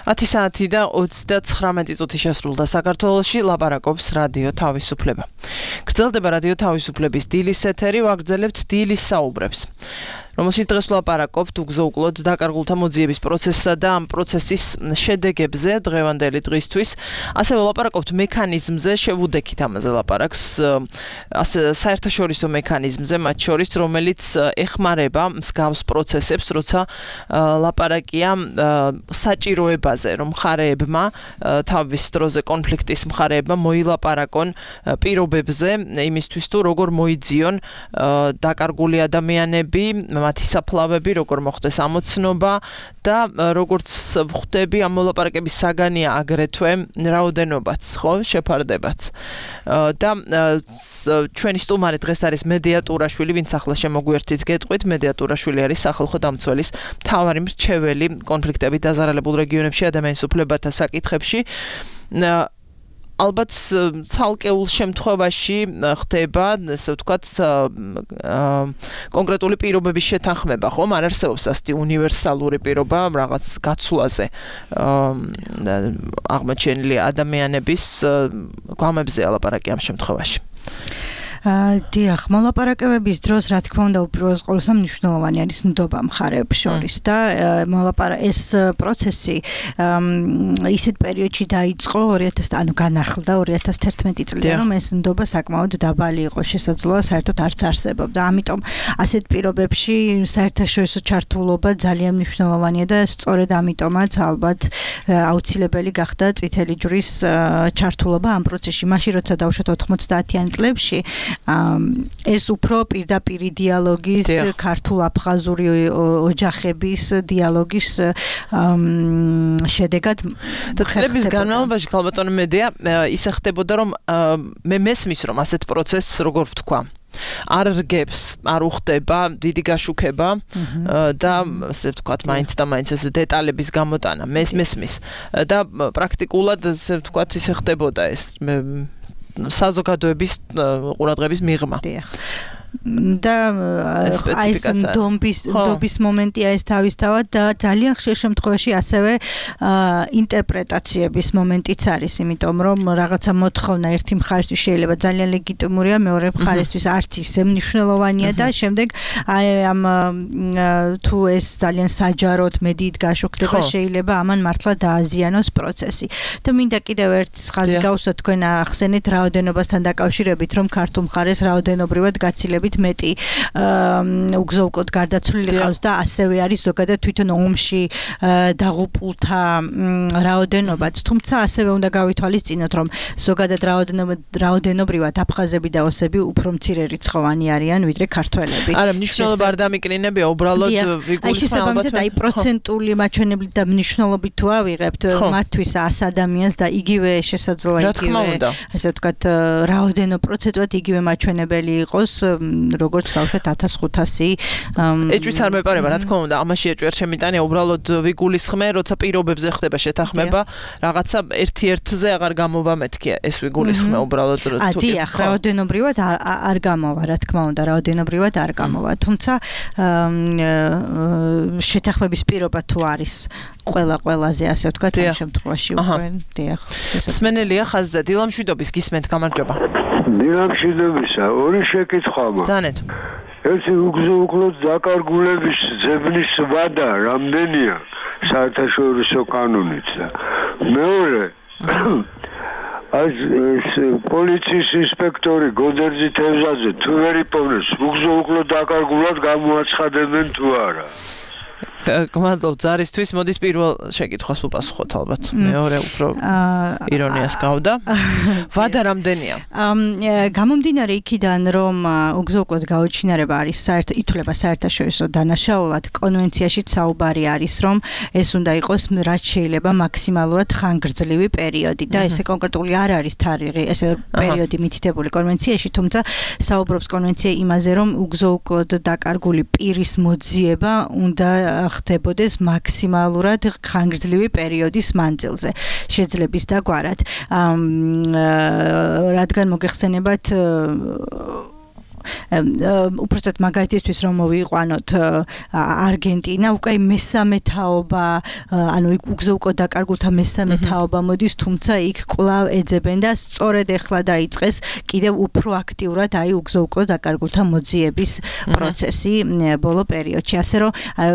Ათი საათი და 39 წუთი შესრულდა საქართველოში, ლაპარაკობს რადიო თავისუფლება. გრძელდება რადიო თავისუფლების დილის ეთერი, ვაგრძელებთ დილის საუბრებს. რომელშიც დღეს ვლაპარაკობთ უგზო-უკვლოდ დაკარგულთა მოძიების პროცესსა და ამ პროცესის შედეგებზე დღევანდელი დღისთვის. ასევე ვლაპარაკობთ მექანიზმზე, შევუდექით ამაზე ლაპარაკს, საერთაშორისო მექანიზმზე, მათ შორის, რომელიც ეხმარება მსგავს პროცესებს, როცა ლაპარაკია საჭიროებაზე, რომ მხარეებმა თავის დროზე კონფლიქტის მხარეებმა მოილაპარაკონ პირობებზე, იმისთვის თუ როგორ მოიძიონ დაკარგული ადამიანები, მათი საფლავები, როგორ მოხდეს ამოცნობა და როგორც ვხვდები ამ მოლაპარაკების საგანია აგრეთვე რაოდენობაც, ხო, შეფარდებაც. და ჩვენი სტუმარი დღეს არის მედია ტურაშვილი, ვინც ახლა შემოგვიერთით გეტყვით, მედია ტურაშვილი არის სახალხო დამცველის მთავარი მრჩეველი კონფლიქტებით დაზარალებულ რეგიონებში ადამიანის უფლებათა საკითხებში. ალბათ ცალკეულ შემთხვევაში ხდება, ესე ვთქვათ, კონკრეტული პირობების შეთანხმება, ხომ? არ არსებობს ასეთი უნივერსალური პირობა რაღაც გაცვლაზე აღმოჩენილი ადამიანების გვამებზე ალაპარაკი ამ შემთხვევაში. დიახ, მოლაპარაკებების დროს, რა თქმა უნდა, უპირველეს ყოვლისა მნიშვნელოვანი არის ნდობა მხარეებს შორის და ეს პროცესი ისეთ პერიოდში დაიწყო 2000, განახლდა 2011 წლიდან, რომ ეს ნდობა საკმაოდ დაბალი იყო, შესაძლოა საერთოდ არც არსებობდა. ამიტომ ასეთ პირობებში საერთაშორისო ჩართულობა ძალიან მნიშვნელოვანია და სწორედ ამიტომაც ალბათ აუცილებელი გახდა წითელი ჯვრის ჩართულობა ამ პროცესში. მაშინ როცა დავუშვათ 90-იან წლებში ეს უფრო პირდაპირი დიალოგის, ქართულ-აფხაზური ოჯახების დიალოგის შედეგად და წლების განმავლობაში ქალბატონო მედია ისე ხდებოდა, რომ მე მესმის, რომ ასეთ პროცესს როგორ ვთქვა არ რგებს, არ უხდება დიდი გაშუქება და ასე ვთქვათ, მაინც და მაინც ეს დეტალების გამოტანა მესმის და პრაქტიკულად ასე ვთქვათ, ისე ხდებოდა ეს საზოგადოების ყურადღების მიღმა. და ეს ნდობის მომენტია ეს თავისთავად და ძალიან ხშირ შემთხვევაში ასევე ინტერპრეტაციების მომენტიც არის, იმიტომ რომ რაღაცა მოთხოვნა ერთი მხარისთვის შეიძლება ძალიან ლეგიტიმურია, მეორე მხარისთვის არც ისე მნიშვნელოვანია და შემდეგ ამ თუ ეს ძალიან საჯაროდ მედიით გაშუქდება, შეიძლება ამან მართლა დააზიანოს პროცესი. და მინდა კიდევ ერთ ხაზი გავუსვათ, თქვენ ახსენეთ რაოდენობასთან დაკავშირებით, რომ ქართულ მხარეს რაოდენობრივად გაცილებით მეტი უგზო-უკვლოდ გარდაცვლილი ყავს და ასევე არის ზოგადად თვითონ ომში დაღუპულთა რაოდენობაც. თუმცა ასევე უნდა გავითვალისწინოთ, რომ ზოგადად რაოდენობრივად აფხაზები და ოსები უფრო მცირე რიცხოვანი არიან ვიდრე ქართველები. არა, მნიშვნელობა არ დამიკნინებია, უბრალოდ ვიგულისხმობთ. ალბათ აი პროცენტული მაჩვენებლით და მნიშვნელობით თუ ავიღებთ მათთვის 100 ადამიანს და იგივე შესაძლოა იგივე ასე ვთქვათ რაოდენო პროცენტულად იგივე მაჩვენებელი იყოს როგორც გავშვათ 1500 ეჭვიც არ მეპარება, რა თქმა უნდა, ამაში ეჭვი არ შემიტანია, უბრალოდ ვიგულისხმე, როცა პირობებზე ხდება შეთანხმება, რაღაცა ერთ-ერთზე აღარ გამოვა მეთქია, ეს ვიგულისხმე უბრალოდ თუ დიახ, რაოდენობრივად არ გამოვა, რა თქმა უნდა, რაოდენობრივად არ გამოვა, თუმცა შეთანხმების პირობა თუ არის ყველაზე ასე ვთქვათ ამ შემთხვევაში უკვე დიახ. სმენელია ხაზზე, დილამშვიდობის გისმენთ, გამარჯობა. დილამშვიდობისა, ორი შეკითხვა მაქვს. ძანეთ. ერთი უგზო-უკვლოდ დაკარგულების ძებნის ვადა რამდენია საერთაშორისო კანონით და მეორე ეს პოლიციის ინსპექტორი გოდერძი თევზაძე თუ ვერ იპოვნებს უგზო-უკვლოდ დაკარგულად გამოაცხადებენ თუ არა? გმადლობ ზარისთვის, მოდის პირველ შეკითხვას უპასუხოთ ალბათ. მეორე უფრო ირონიას გავდა. ვადა რამდენია? გამომდინარე იქიდან, რომ უგზო-უკვლოდ გაუჩინარება არის ითვლება საერთაშორისო დანაშაულად, კონვენციაშიც საუბარი არის, რომ ეს უნდა იყოს რაც შეიძლება მაქსიმალურად ხანგრძლივი პერიოდი და ესე კონკრეტული არ არის თარიღი, ესე პერიოდი მითითებული კონვენციაში, თუმცა საუბრობს კონვენცია იმაზე, რომ უგზო-უკვლოდ დაკარგული პირის მოძიება უნდა ხდებოდეს მაქსიმალურად ხანგრძლივი პერიოდის მანძილზე შეძლების დაგვარად. რადგან მოგეხსენებათ უბრალოდ მაგალითისთვის რომ მოვიყვანოთ არგენტინა უკვე მესამე თაობა, ანუ უგზო-უკვლოდ დაკარგულთა მესამე თაობა მოდის, თუმცა იქ კვლავ ეძებენ და სწორედ ეხლა დაიწყეს კიდევ უფრო აქტიურად აი უგზო-უკვლოდ დაკარგულთა მოძიების პროცესი ბოლო პერიოდში. ასე რომ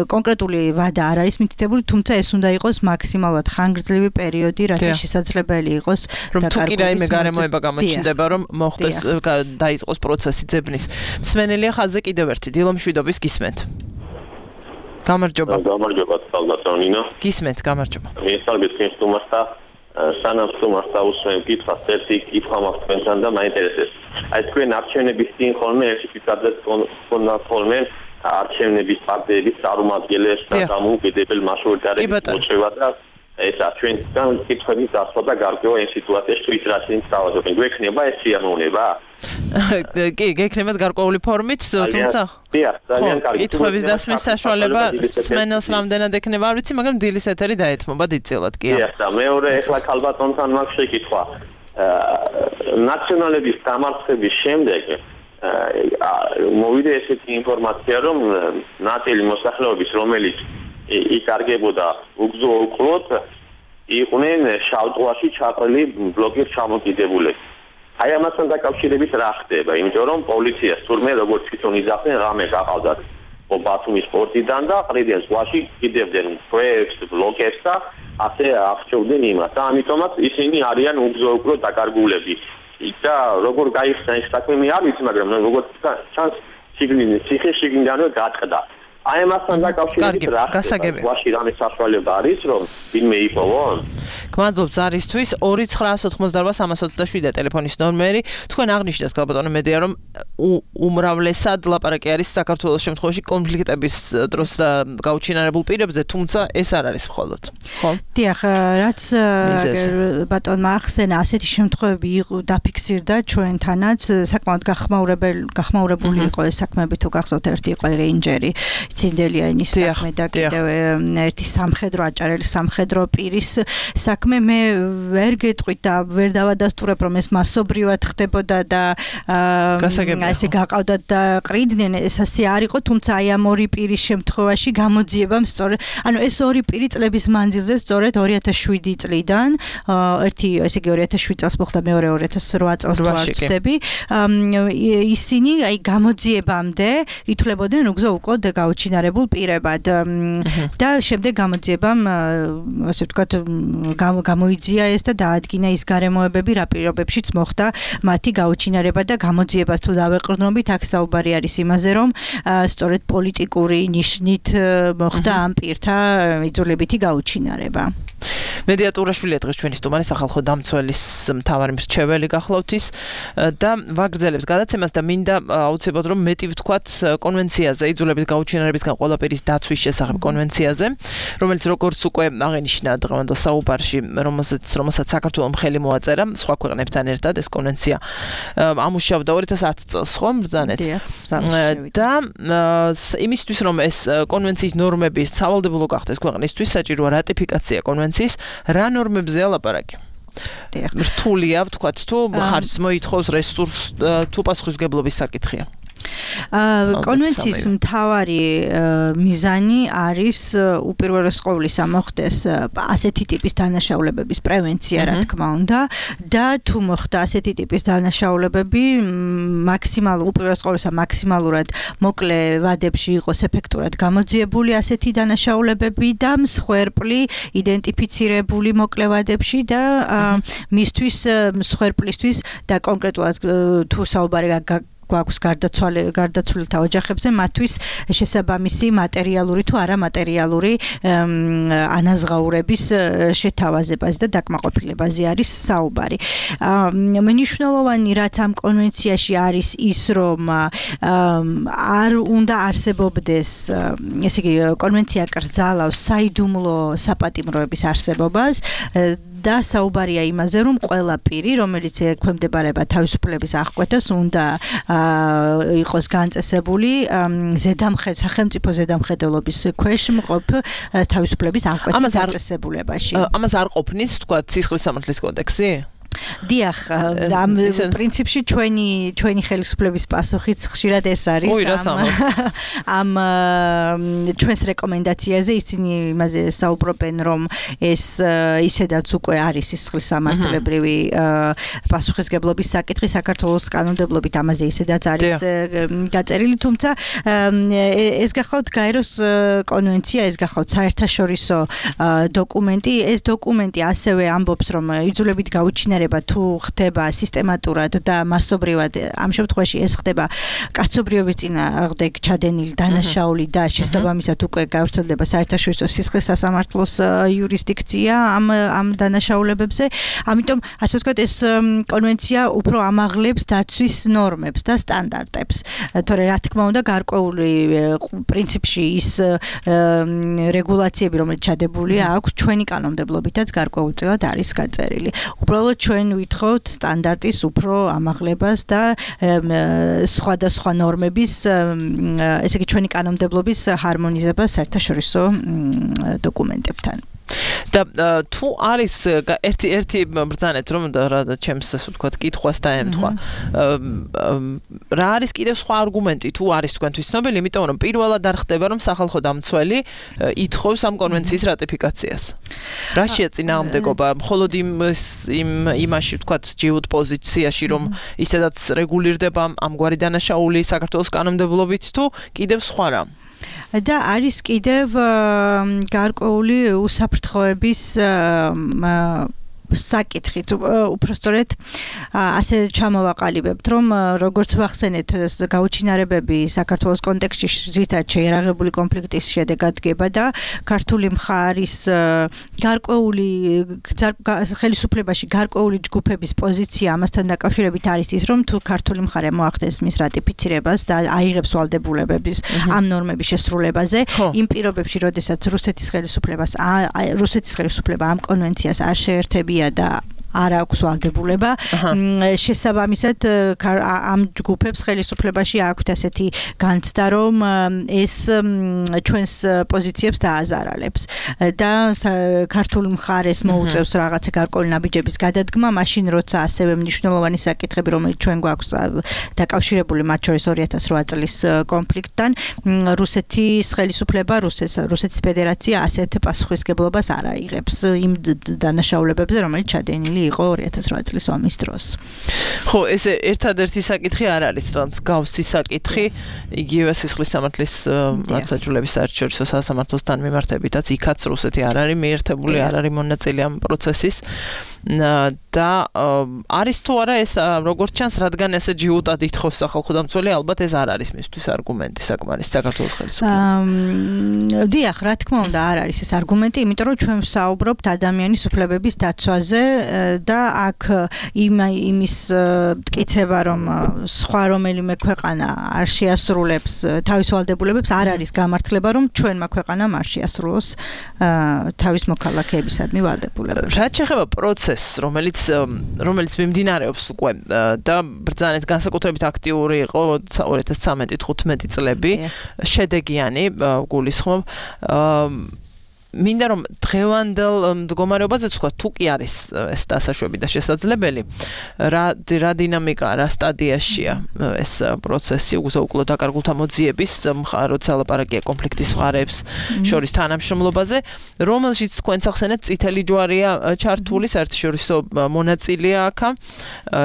კონკრეტული ვადა არ არის მითითებული, თუმცა ეს უნდა იყოს მაქსიმალურად ხანგრძლივი პერიოდი, რათა შესაძლებელი იყოს დაკარგულის. თუ კი რაიმე გარემოება გამოჩნდება, რომ მოხდეს დაიწყოს პროცესი ძებნის. სმენელია ხაზზე კიდევ ერთი დილამშვიდობის გისმენთ. გამარჯობა. გამარჯობა, კალბატონინო. გისმენთ, გამარჯობა. მიესალმებით თქვენ სტუმარს და სანამ სტუმარს დაუსვენ კითხვას, ერთი კითხვა მაქვს თქვენთან და მაინტერესებს. აი თქვენ არჩევნების წინ ხოლმე ერთი ფიქრობთ ხოლმე არჩევნების პარტიების წარმომადგენლებს და დამოუკიდებელ მაშორიტარების მოწევა და ესა ჩვენთან კითხვების დასვა და გარკვევა იმ სიტუაციაში თუ ის რაც იმ თავაზობენ გვექნება ეს სიამოვნება? კი, გექნებათ გარკვეული ფორმით, თუმცა ძალიან კარგი. კითხვების დასმის საშუალება სმენელს რამდენად ექნება არ ვიცი, მაგრამ დილის ეთერი დაეთმობა დიდწილად კი. და მეორე ეხლა ქალბატონთან მაქვს შეკითხვა. ნაციონალების დამარცხების შემდეგ მოვიდა ესეთი ინფორმაცია, რომ ნაწილი მოსახლეობის, რომელიც იკარგებოდა უგზო-უკლოდ, იყვნენ შავტყუაში ჩაყრილი ბლოკის ჩამოკიდებულები. აი ამასთან დაკავშირებით რა ხდება? იმიტომ რომ პოლიციას თურმე როგორც თვითონ იძახდნენ, რამე გაყავდათ ბათუმის პორტიდან და ყრიდნენ ზღვაში, კიდევდნენ პროექტს, ბლოკებს და ასე აღწევდნენ იმას. და ამიტომაც ისინი არიან უგზო-უკლოდ დაკარგულები. და როგორ გაიხსნა ეს საქმე მე არ ვიცი, მაგრამ როგორც ჩანს ციხე შიგნიდანვე გაწყდა. აი ამასთან დაკავშირებით რა ხდება? ზღვაში რამე საშუალება არის რომ ვინმე იპოვონ? გმადლობთ ზარისთვის 2988327 ტელეფონის ნომერი. თქვენ აღნიშნეთ ქალბატონო მედია რომ უმრავლესად ლაპარაკი არის საქართველოს შემთხვევაში კონფლიქტების დროს გაუჩინარებულ პირებზე, თუმცა ეს არ არის მხოლოდ. ხო? დიახ, რაც ბატონმა ახსენა, ასეთი შემთხვევები დაფიქსირდა ჩვენთანაც, საკმაოდ გახმაურებული იყო ეს საქმეები, თუ გახსოვთ ერთი იყო რეინჯერი ცინდელიანის საქმე და კიდევ ერთი სამხედრო აჭარელი სამხედრო პირის საქმე მე ვერ გეტყვით და ვერ დავადასტურებ რომ ეს მასობრივად ხდებოდა და ესე გაყავდათ და ყრიდნენ ეს ასე არ იყო, თუმცა აი ამ ორი პირის შემთხვევაში გამოძიებამ სწორედ ანუ ეს ორი პირი წლების მანძილზე სწორედ 2007 წლიდან ერთი ესე იგი 2007 წელს მოხდა, მეორე 2008 წელს თუ არ ვცდები, ისინი აი გამოძიებამდე ითვლებოდნენ უგზო-უკლოდ გაუჩინარებულ პირებად და შემდეგ გამოძიებამ ასე ვთქვათ გამოიძია ეს და დაადგინა ის გარემოებები, რა პირობებშიც მოხდა მათი გაუჩინარება და გამოძიებას თუ დავეყრდნობით, აქ საუბარი არის იმაზე, რომ სწორედ პოლიტიკური ნიშნით მოხდა ამ პირთა იძულებითი გაუჩინარება. მედია ტურაშვილია დღეს ჩვენი სტუმარი, სახალხო დამცველის მთავარი მრჩეველი გახლავთ ის და ვაგრძელებს გადაცემას და მინდა აუცილებლად რომ მეტი ვთქვათ კონვენციაზე, იძულებით გაუჩინარებისგან ყველაფერის დაცვის შესახებ კონვენციაზე, რომელიც როგორც უკვე აღინიშნა დღევანდელ საუბარში, რომელსაც საქართველოს მხელი მოაწერა სხვა ქვეყნებთან ერთად ეს კონვენცია ამუშავდა 2010 წელს, ხო, ბრძანეთ. და იმისთვის რომ ეს კონვენციის ნორმები სავალდებულო გახდეს ქვეყნისთვის, საჭიროა რატიფიკაცია კონვენციის. რა ნორმებზეა ლაპარაკი? რთულია, ვთქვათ, თუ ხარჯს მოითხოვს რესურს, თუ პასუხისმგებლობის საკითხია. კონვენციის მთავარი მიზანი არის უპირველეს ყოვლისა მოხდეს ასეთი ტიპის დანაშაულებების პრევენცია, რა თქმა უნდა, და თუ მოხდა ასეთი ტიპის დანაშაულებები, უპირველეს ყოვლისა მაქსიმალურად მოკლე ვადებში იყოს ეფექტურად გამოძიებული ასეთი დანაშაულებები და მსხვერპლი იდენტიფიცირებული მოკლე ვადებში და მისთვის მსხვერპლისთვის და კონკრეტულად თუ საუბარი გვაქვს გარდაცვლილთა ოჯახებზე, მათთვის შესაბამისი მატერიალური თუ არამატერიალური ანაზღაურების შეთავაზებაზე და დაკმაყოფილებაზე არის საუბარი. მნიშვნელოვანი რაც ამ კონვენციაში არის ის, რომ არ უნდა არსებობდეს, ესე იგი, კონვენცია კრძალავს საიდუმლო საპატიმროების არსებობას და საუბარია იმაზე, რომ ყველა პირი, რომელიც ექვემდებარება თავისუფლების აღკვეთას, უნდა იყოს განწესებული სახელმწიფო ზედამხედველობის ქვეშ მყოფ თავისუფლების აღკვეთის დაწესებულებაში. ამას არ ყოფნის, თქვა, სისხლის სამართლის კოდექსი? დიახ, ამ პრინციპში ჩვენი ხელისუფლების პასუხიც ხშირად ეს არის ამ ჩვენს რეკომენდაციაზე ისინი იმაზე საუბრობენ, რომ ეს ისედაც უკვე არის სისხლის სამართლებრივი პასუხისმგებლობის საკითხი საქართველოს კანონმდებლობით ამაზე ისედაც არის გაწერილი, თუმცა ეს გახლავთ გაეროს კონვენცია, ეს გახლავთ საერთაშორისო დოკუმენტი, ეს დოკუმენტი ასევე ამბობს, რომ იძულებით გაუჩინარება განვითარება თუ ხდება სისტემატურად და მასობრივად, ამ შემთხვევაში ეს ხდება კაცობრიობის წინააღმდეგ ჩადენილი დანაშაული და შესაბამისად უკვე გავრცელდება საერთაშორისო სისხლის სასამართლოს იურისდიქცია ამ დანაშაულებებზე. ამიტომ ასე ვთქვათ, ეს კონვენცია უფრო ამაღლებს დაცვის ნორმებს და სტანდარტებს. თორე რა თქმა უნდა, გარკვეული პრინციპში ის რეგულაციები, რომელიც ჩადებულია აქვს ჩვენი კანონმდებლობითაც გარკვეულწილად არის გაწერილი. უბრალოდ ჩვენ ვითხოვთ სტანდარტის უფრო ამაღლებას და სხვადასხვა ნორმების, ესე იგი ჩვენი კანონმდებლობის ჰარმონიზებას საერთაშორისო დოკუმენტებთან. და თუ არის ერთი ბრძანეთ რომ რა ჩემს ასე ვთქვათ კითხვას დაემთხვა რა არის კიდევ სხვა არგუმენტი თუ არის თქვენთვის ცნობილი, იმიტომ რომ პირველად არ ხდება რომ სახალხო დამცველი ითხოვს ამ კონვენციის რატიფიკაციას. რა შეეწინააღმდეგობა მხოლოდ იმაში ვთქვათ ჯიუტ პოზიციაში რომ ისედაც რეგულირდება ამგვარი დანაშაული საქართველოს კანონმდებლობით თუ კიდევ სხვა რა? და არის კიდევ გარკვეული უსაფრთხოების საკითხით, უпростоრეთ ასე ჩამოვაყალიბებთ, რომ როგორც ვახსენეთ, გაუჩინარებები საქართველოს კონტექსტში ზრდად შეიარაღებული კონფლიქტის შედეგად დგება და ქართული მხარის გარკვეული ხელისუფლებაში გარკვეული ჯგუფების პოზიცია ამასთან დაკავშირებით არის ის, რომ თუ ქართული მხარე მოახდენს მის რატიფიცირებას და აიღებს ვალდებულებების ამ ნორმების შესრულებაზე, იმ პირობებში, როდესაც რუსეთის ხელისუფლება ამ კონვენციას არ შეერთებია და არ აქვს ვალდებულება, შესაბამისად ამ ჯგუფებს ხელისუფლებაში აქვთ ასეთი განცდა, რომ ეს ჩვენს პოზიციებს დააზარალებს და ქართული მხარეს მოუწევს რაღაცა გარკვეული ნაბიჯების გადადგმა, მაშინ როცა ასევე მნიშვნელოვანი საკითხები, რომელიც ჩვენ გვაქვს დაკავშირებული მათ შორის 2008 წლის კონფლიქტთან, რუსეთის ხელისუფლება, რუსეთის ფედერაცია ასეთ პასუხისგებლობას არ აიღებს იმ დანაშაულებებზე, რომელიც ჩადენილი იყო 2008 წლის ომის დროს. ხო, ეს ერთადერთი საკითხი არ არის, რაც გავსი საკითხი, იგივე სისხლის სამართლის მართლმსაჯულების საერთაშორისო სასამართლოსთან მიმართებითაც იქაც რუსეთი არ არის მიერთებული, არ არის მონაწილე ამ პროცესის და არის თუ არა ეს როგორც ჩანს, რადგან ესე ჯიუტად ითხოვს სახალხო დამცველი, ალბათ ეს არ არის მისთვის არგუმენტი საკმარის საქართველოს ხელისუფლებისთვის. დიახ, რა თქმა უნდა არ არის ეს არგუმენტი, იმიტომ რომ ჩვენ ვსაუბრობთ ადამიანის უფლებების დაცვაზე და აქ იმის მტკიცება, რომ სხვა რომელიმე ქვეყანა არ შეასრულებს თავის ვალდებულებებს, არ არის გამართლება, რომ ჩვენმა ქვეყანამ არ შეასრულოს თავის მოქალაქეებისადმი ვალდებულებები. რაც შეეხება პროცესს, რომელიც მიმდინარეობს უკვე და ბრძანეთ განსაკუთრებით აქტიური იყო 2013-15 წლები, შედეგიანი გულისხმობ მინდა რომ დღევანდელ მდგომარეობაზე თქვა თუ კი არის ეს დასაშვები და შესაძლებელი რა დინამიკა რა სტადიაშია ეს პროცესი უგზო-უკლო დაკარგულთა მოძიების როცა ლაპარაკია კონფლიქტის მხარეებს შორის თანამშრომლობაზე რომელშიც თქვენ ახსენეთ წითელი ჯვარია ჩართული საერთაშორისო მონაწილეა აქ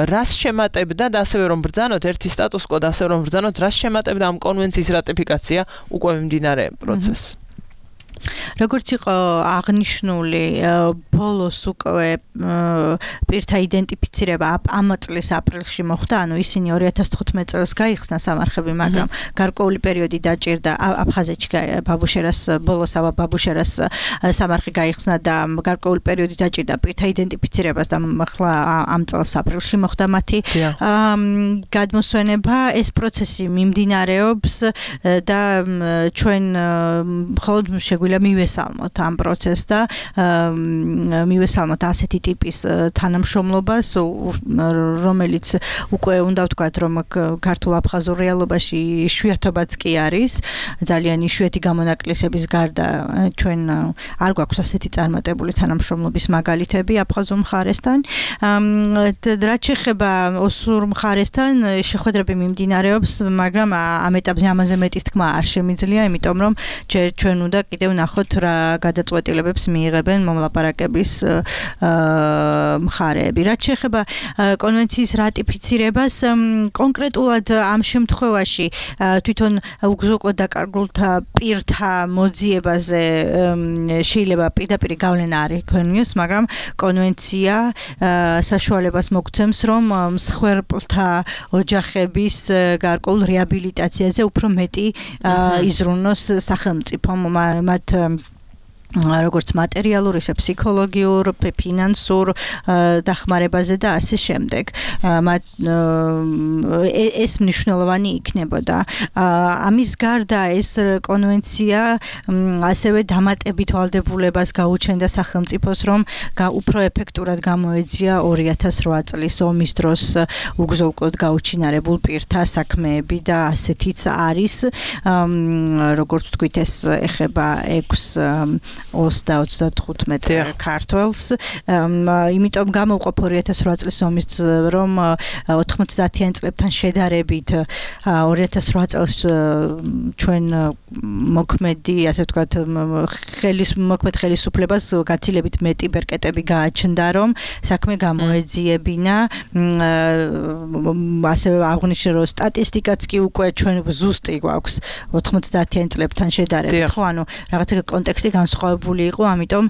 რას შემატებდა და ასევე რომ ბრძანოთ ერთი სტატუს კო და ასევე რომ ბრძანოთ რას შემატებდა ამ კონვენციის რატიფიკაცია უკვე მიმდინარე პროცესს როგორც იყო აღნიშნული ბოლოს უკვე პირთა იდენტიფიცირება ამ წლის აპრილში მოხდა, ანუ ისინი 2015 წელს გაიხსნა სამარხები, მაგრამ გარკვეული პერიოდი დაჭირდა აფხაზეთში ბაბუშერას ბოლოს ბაბუშერას სამარხი გაიხსნა და გარკვეული პერიოდი დაჭირდა პირთა იდენტიფიცირებას და ახლა ამ წელს აპრილში მოხდა მათი გადმოსვენება. ეს პროცესი მიმდინარეობს და ჩვენ მხოლოდ შეგვიძლია მივესალმოთ ამ პროცესს და მივესალმოთ ასეთი ტიპის თანამშრომლობას, რომელიც უკვე უნდა ვთქვათ, რომ ქართულ აფხაზურ რეალობაში იშვიათობაც კი არის. ძალიან იშვიათი გამონაკლისების გარდა ჩვენ არ გვაქვს ასეთი წარმატებული თანამშრომლობის მაგალითები აფხაზურ მხარესთან. რაც შეეხება ოსურ მხარესთან, შეხვედრები მიმდინარეობს, მაგრამ ამ ეტაპზე ამაზე მეტის თქმა არ შემიძლია, იმიტომ რომ ჩვენ უნდა კიდევ ვნახოთ რა გადაწყვეტილებებს მიიღებენ მომლაპარაკების მხარეები. რაც შეეხება კონვენციის რატიფიცირებას, კონკრეტულად ამ შემთხვევაში თვითონ უგზო-უკვლოდ დაკარგულთა პირთა მოძიებაზე შეიძლება პირდაპირ გავლენა არ იქონიოს, მაგრამ კონვენცია საშუალებას მოგცემს, რომ მსხვერპლთა ოჯახების გარკვეულ რეაბილიტაციაზე უფრო მეტი იზრუნოს სახელმწიფომ მათ როგორც მატერიალურ, ისე ფსიქოლოგიურ, ფინანსურ დახმარებაზე და ასე შემდეგ. ეს მნიშვნელოვანი იქნებოდა. ამის გარდა ეს კონვენცია ასევე დამატებით ვალდებულებას გაუჩენდა სახელმწიფოს, რომ უფრო ეფექტურად გამოეძია 2008 წლის ომის დროს უგზო-უკვლოდ გაუჩინარებულ პირთა საქმეები და ასეთიც არის, როგორც ვთქვით, ეს ეხება 6-25 ქართველს. იმიტომ გამოვყოფ 2008 წლის ომის რომ 90-იან წლებთან შედარებით 2008 წელს ჩვენ მოქმედი, ასე ვთქვათ, მოქმედ ხელისუფლებას გაცილებით მეტი ბერკეტები გააჩნდა, რომ საქმე გამოეძიებინა. ასევე აღნიშნე, რომ სტატისტიკაც კი უკვე ჩვენ ზუსტი გვაქვს 90-იან წლებთან შედარებით, ხო, ანუ რაღაცა კონტექსტი განსხვავებული იყო, ამიტომ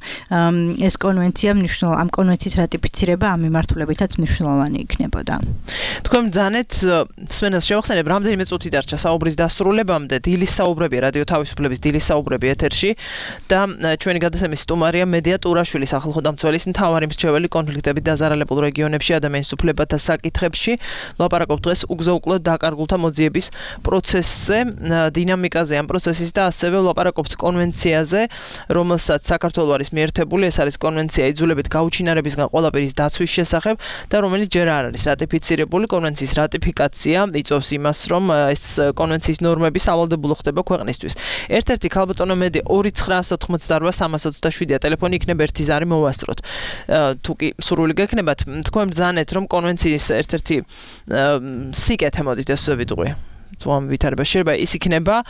ეს კონვენცია ამ კონვენციის რატიფიცირება ამ მიმართულებითაც მნიშვნელოვანი იქნებოდა. თქვენ ბრძანეთ სმენელს შევახსენებ, რამდენიმე წუთი დარჩა საუბრის დასრულებამდე, დილის საუბრებია, რადიო თავისუფლების დილის საუბრები ეთერში და ჩვენი გადაცემის სტუმარია მედია ტურაშვილი, სახალხო დამცველის მთავარი მრჩეველი კონფლიქტებით დაზარალებულ რეგიონებში ადამიანის უფლებათა საკითხებში. ლაპარაკობთ დღეს უგზო-უკვლოდ დაკარგულთა მოძიების პროცესზე, დინამიკაზე ამ პროცესის და ასევე ლაპარაკობთ კონვენციაზე, რომელსაც საქართველო არის მიერთებული. ეს არის კონვენცია იძულებით გაუჩინარებისგან ყველაფერის დაცვის შესახებ და რომელიც ჯერ არ არის რატიფიცირებული. კონვენციის რატიფიკაცია იწვევს იმას, რომ ეს კონვენციის ნორმები სავალდებულო ხდება ქვეყნისთვის. ერთ-ერთი ქალბატონო მედი 2988327 ტელეფონი იქნება ერთი ზარი მოვასწროთ. თუ კი სურვილი გექნებათ, თქვენ ბრძანეთ, რომ კონვენციის ერთ-ერთი სიკეთე მოდით ეს ვიტყვი. თუ ამ ვითარება შეიძლება ის იქნება,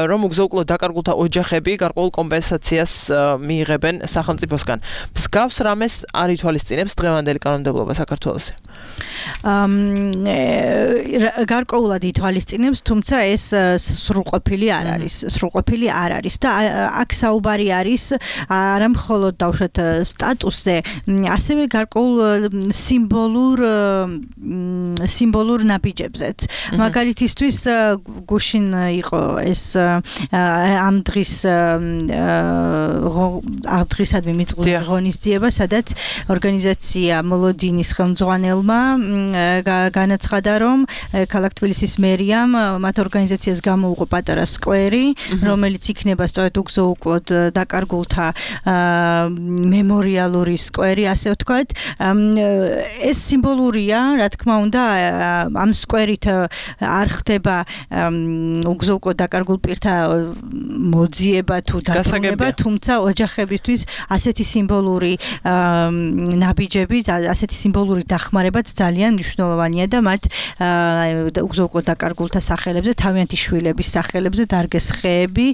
რომ უგზო-უკვლოდ დაკარგულთა ოჯახები გარკვეულ კომპენსაციას მიიღებენ სახელმწიფოსგან. მსგავს რამეს არ ითვალისწინებს დღევანდელი კანონმდებლობა საქართველოში? გარკვეულად ითვალისწინებს, თუმცა ეს სრულყოფილი არ არის. სრულყოფილი არ არის და აქ საუბარი არის არა მხოლოდ დავუშვათ სტატუსზე, ასევე გარკვეულ სიმბოლურ ნაბიჯებზეც. მაგალითისთვის გუშინ იყო ეს ამ დღისადმი მიწვეული ღონისძიება, სადაც ორგანიზაცია მოლოდინის ხელმძღვანელმა განაცხადა, რომ ქალაქ თბილისის მერიამ მათ ორგანიზაციას გამოუყო პატარა სკვერი, რომელიც იქნება სწორედ უგზო-უკვლოდ დაკარგულთა მემორიალური სკვერი, ასე ვთქვათ. ეს სიმბოლურია, რა თქმა უნდა, ამ სკვერით არ ხდება უგზო-უკვლოდ დაკარგულ პირთა მოძიება თუ დაბრუნება, თუმცა ოჯახებისთვის ასეთი სიმბოლური ნაბიჯები, ასეთი სიმბოლური დახმარებაც ძალიან მნიშვნელოვანია და მათ უგზო-უკვლოდ დაკარგულთა სახელებზე, თავიანთი შვილების სახელებზე დარგეს ხეები,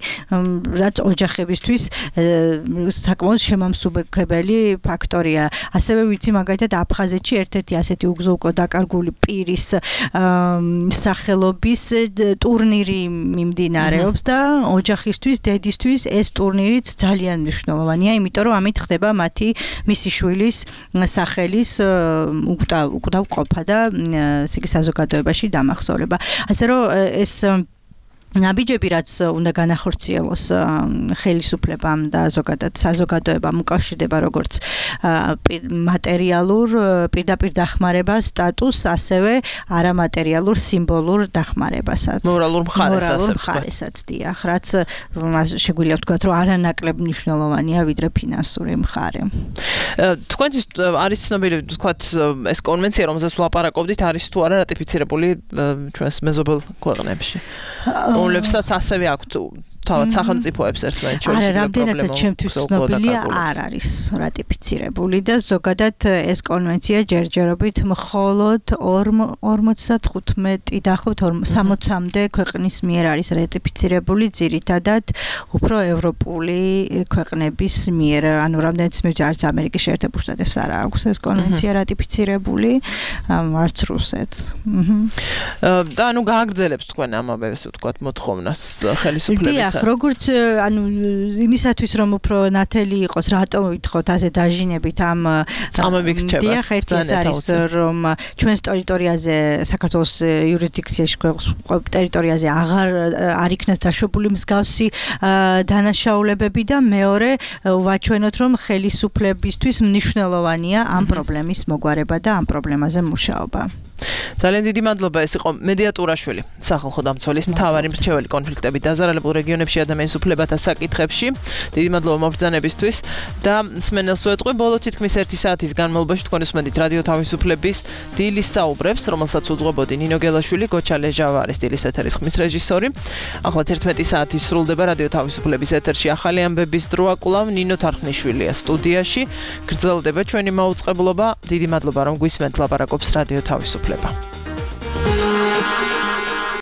რაც ოჯახებისთვის საკმაოდ შემამსუბუქებელი ფაქტორია. ასევე ვიცი მაგალითად აფხაზეთში ერთ-ერთი ასეთი უგზო-უკვლოდ დაკარგული პირის სახელობის ტურნირი მიმდინარეობს და ოჯახისთვის, დედისთვის ეს ტურნირიც ძალიან მნიშვნელოვანია, იმიტომ რომ ამით ხდება მისი შვილის სახელის უკვდავ ყოფა და საზოგადოებაში დამახსოვრება. ასე რომ ეს ნაბიჯები, რაც უნდა განახორციელოს ხელისუფლებამ და ზოგადად საზოგადოებამ, უკავშირდება როგორც მატერიალურ პირდაპირ დახმარებას, სტატუსს, ასევე არამატერიალურ სიმბოლურ დახმარებასაც. მორალურ მხარესაც, დიახ, რაც შეგვიძლია ვთქვათ, რომ არანაკლებ მნიშვნელოვანია ვიდრე ფინანსური მხარე. თქვენთვის არის ცნობილი, ვთქვათ, ეს კონვენცია, რომელზეც ვლაპარაკობდით, არის თუ არა რატიფიცირებული ჩვენს მეზობელ ქვეყნებში? რომლებსაც ასევე აქვთ თავად სახელმწიფოებს ერთმანეთს შორის არა, რამდენადაც ჩემთვის ცნობილია, არ არის რატიფიცირებული და ზოგადად ეს კონვენცია ჯერჯერობით მხოლოდ 55 დაახლოებით 60-მდე ქვეყნის მიერ არის რატიფიცირებული, ძირითადად უფრო ევროპული ქვეყნების მიერ, ანუ რამდენიც მე არც ამერიკის შეერთებულ შტატებს არ აქვს ეს კონვენცია რატიფიცირებული, არც რუსეთს. და ანუ გააგრძელებს თქვენ ამავეს ვთქვათ მოთხოვნას ხელისუფლების. დიახ, როგორც ანუ იმისათვის რომ უფრო ნათელი იყოს, რატო ვითხოვთ ასე დაჟინებით ამ წამები გრჩება. დიახ, ერთი ეს არის რომ ჩვენს ტერიტორიაზე საქართველოს იურისდიქციაში ტერიტორიაზე აღარ არ იქნას დაშვებული მსგავსი დანაშაულებები და მეორე ვაჩვენოთ რომ ხელისუფლებისთვის მნიშვნელოვანია ამ პრობლემის მოგვარება და ამ პრობლემაზე მუშაობა. ძალიან დიდი მადლობა, ეს იყო მედია ტურაშვილი, სახალხო დამცველის მთავარი მრჩეველი კონფლიქტებით დაზარალებულ რეგიონებში ადამიანის უფლებათა საკითხებში. დიდი მადლობა მობრძანებისთვის და მსმენელს ვეტყვი, ბოლო თითქმის 1 საათის განმავლობაში თქვენ უსმენთ რადიო თავისუფლების დილის საუბრებს, რომელსაც უძღვებოდი ნინო გელაშვილი, გოჩა ლეჟავა არის დილის ეთერის ხმის რეჟისორი. ახლა 11 საათი სრულდება რადიო თავისუფლების ეთერში ახალი ამბების დრო აკვლავ ნინო თარხნიშვილია სტუდიაში. გრძელდება ჩვენი მაუწყებლობა. დიდი მადლობა რომ გვისმენთ, ლაპარაკობს რადიო თავისუფლება.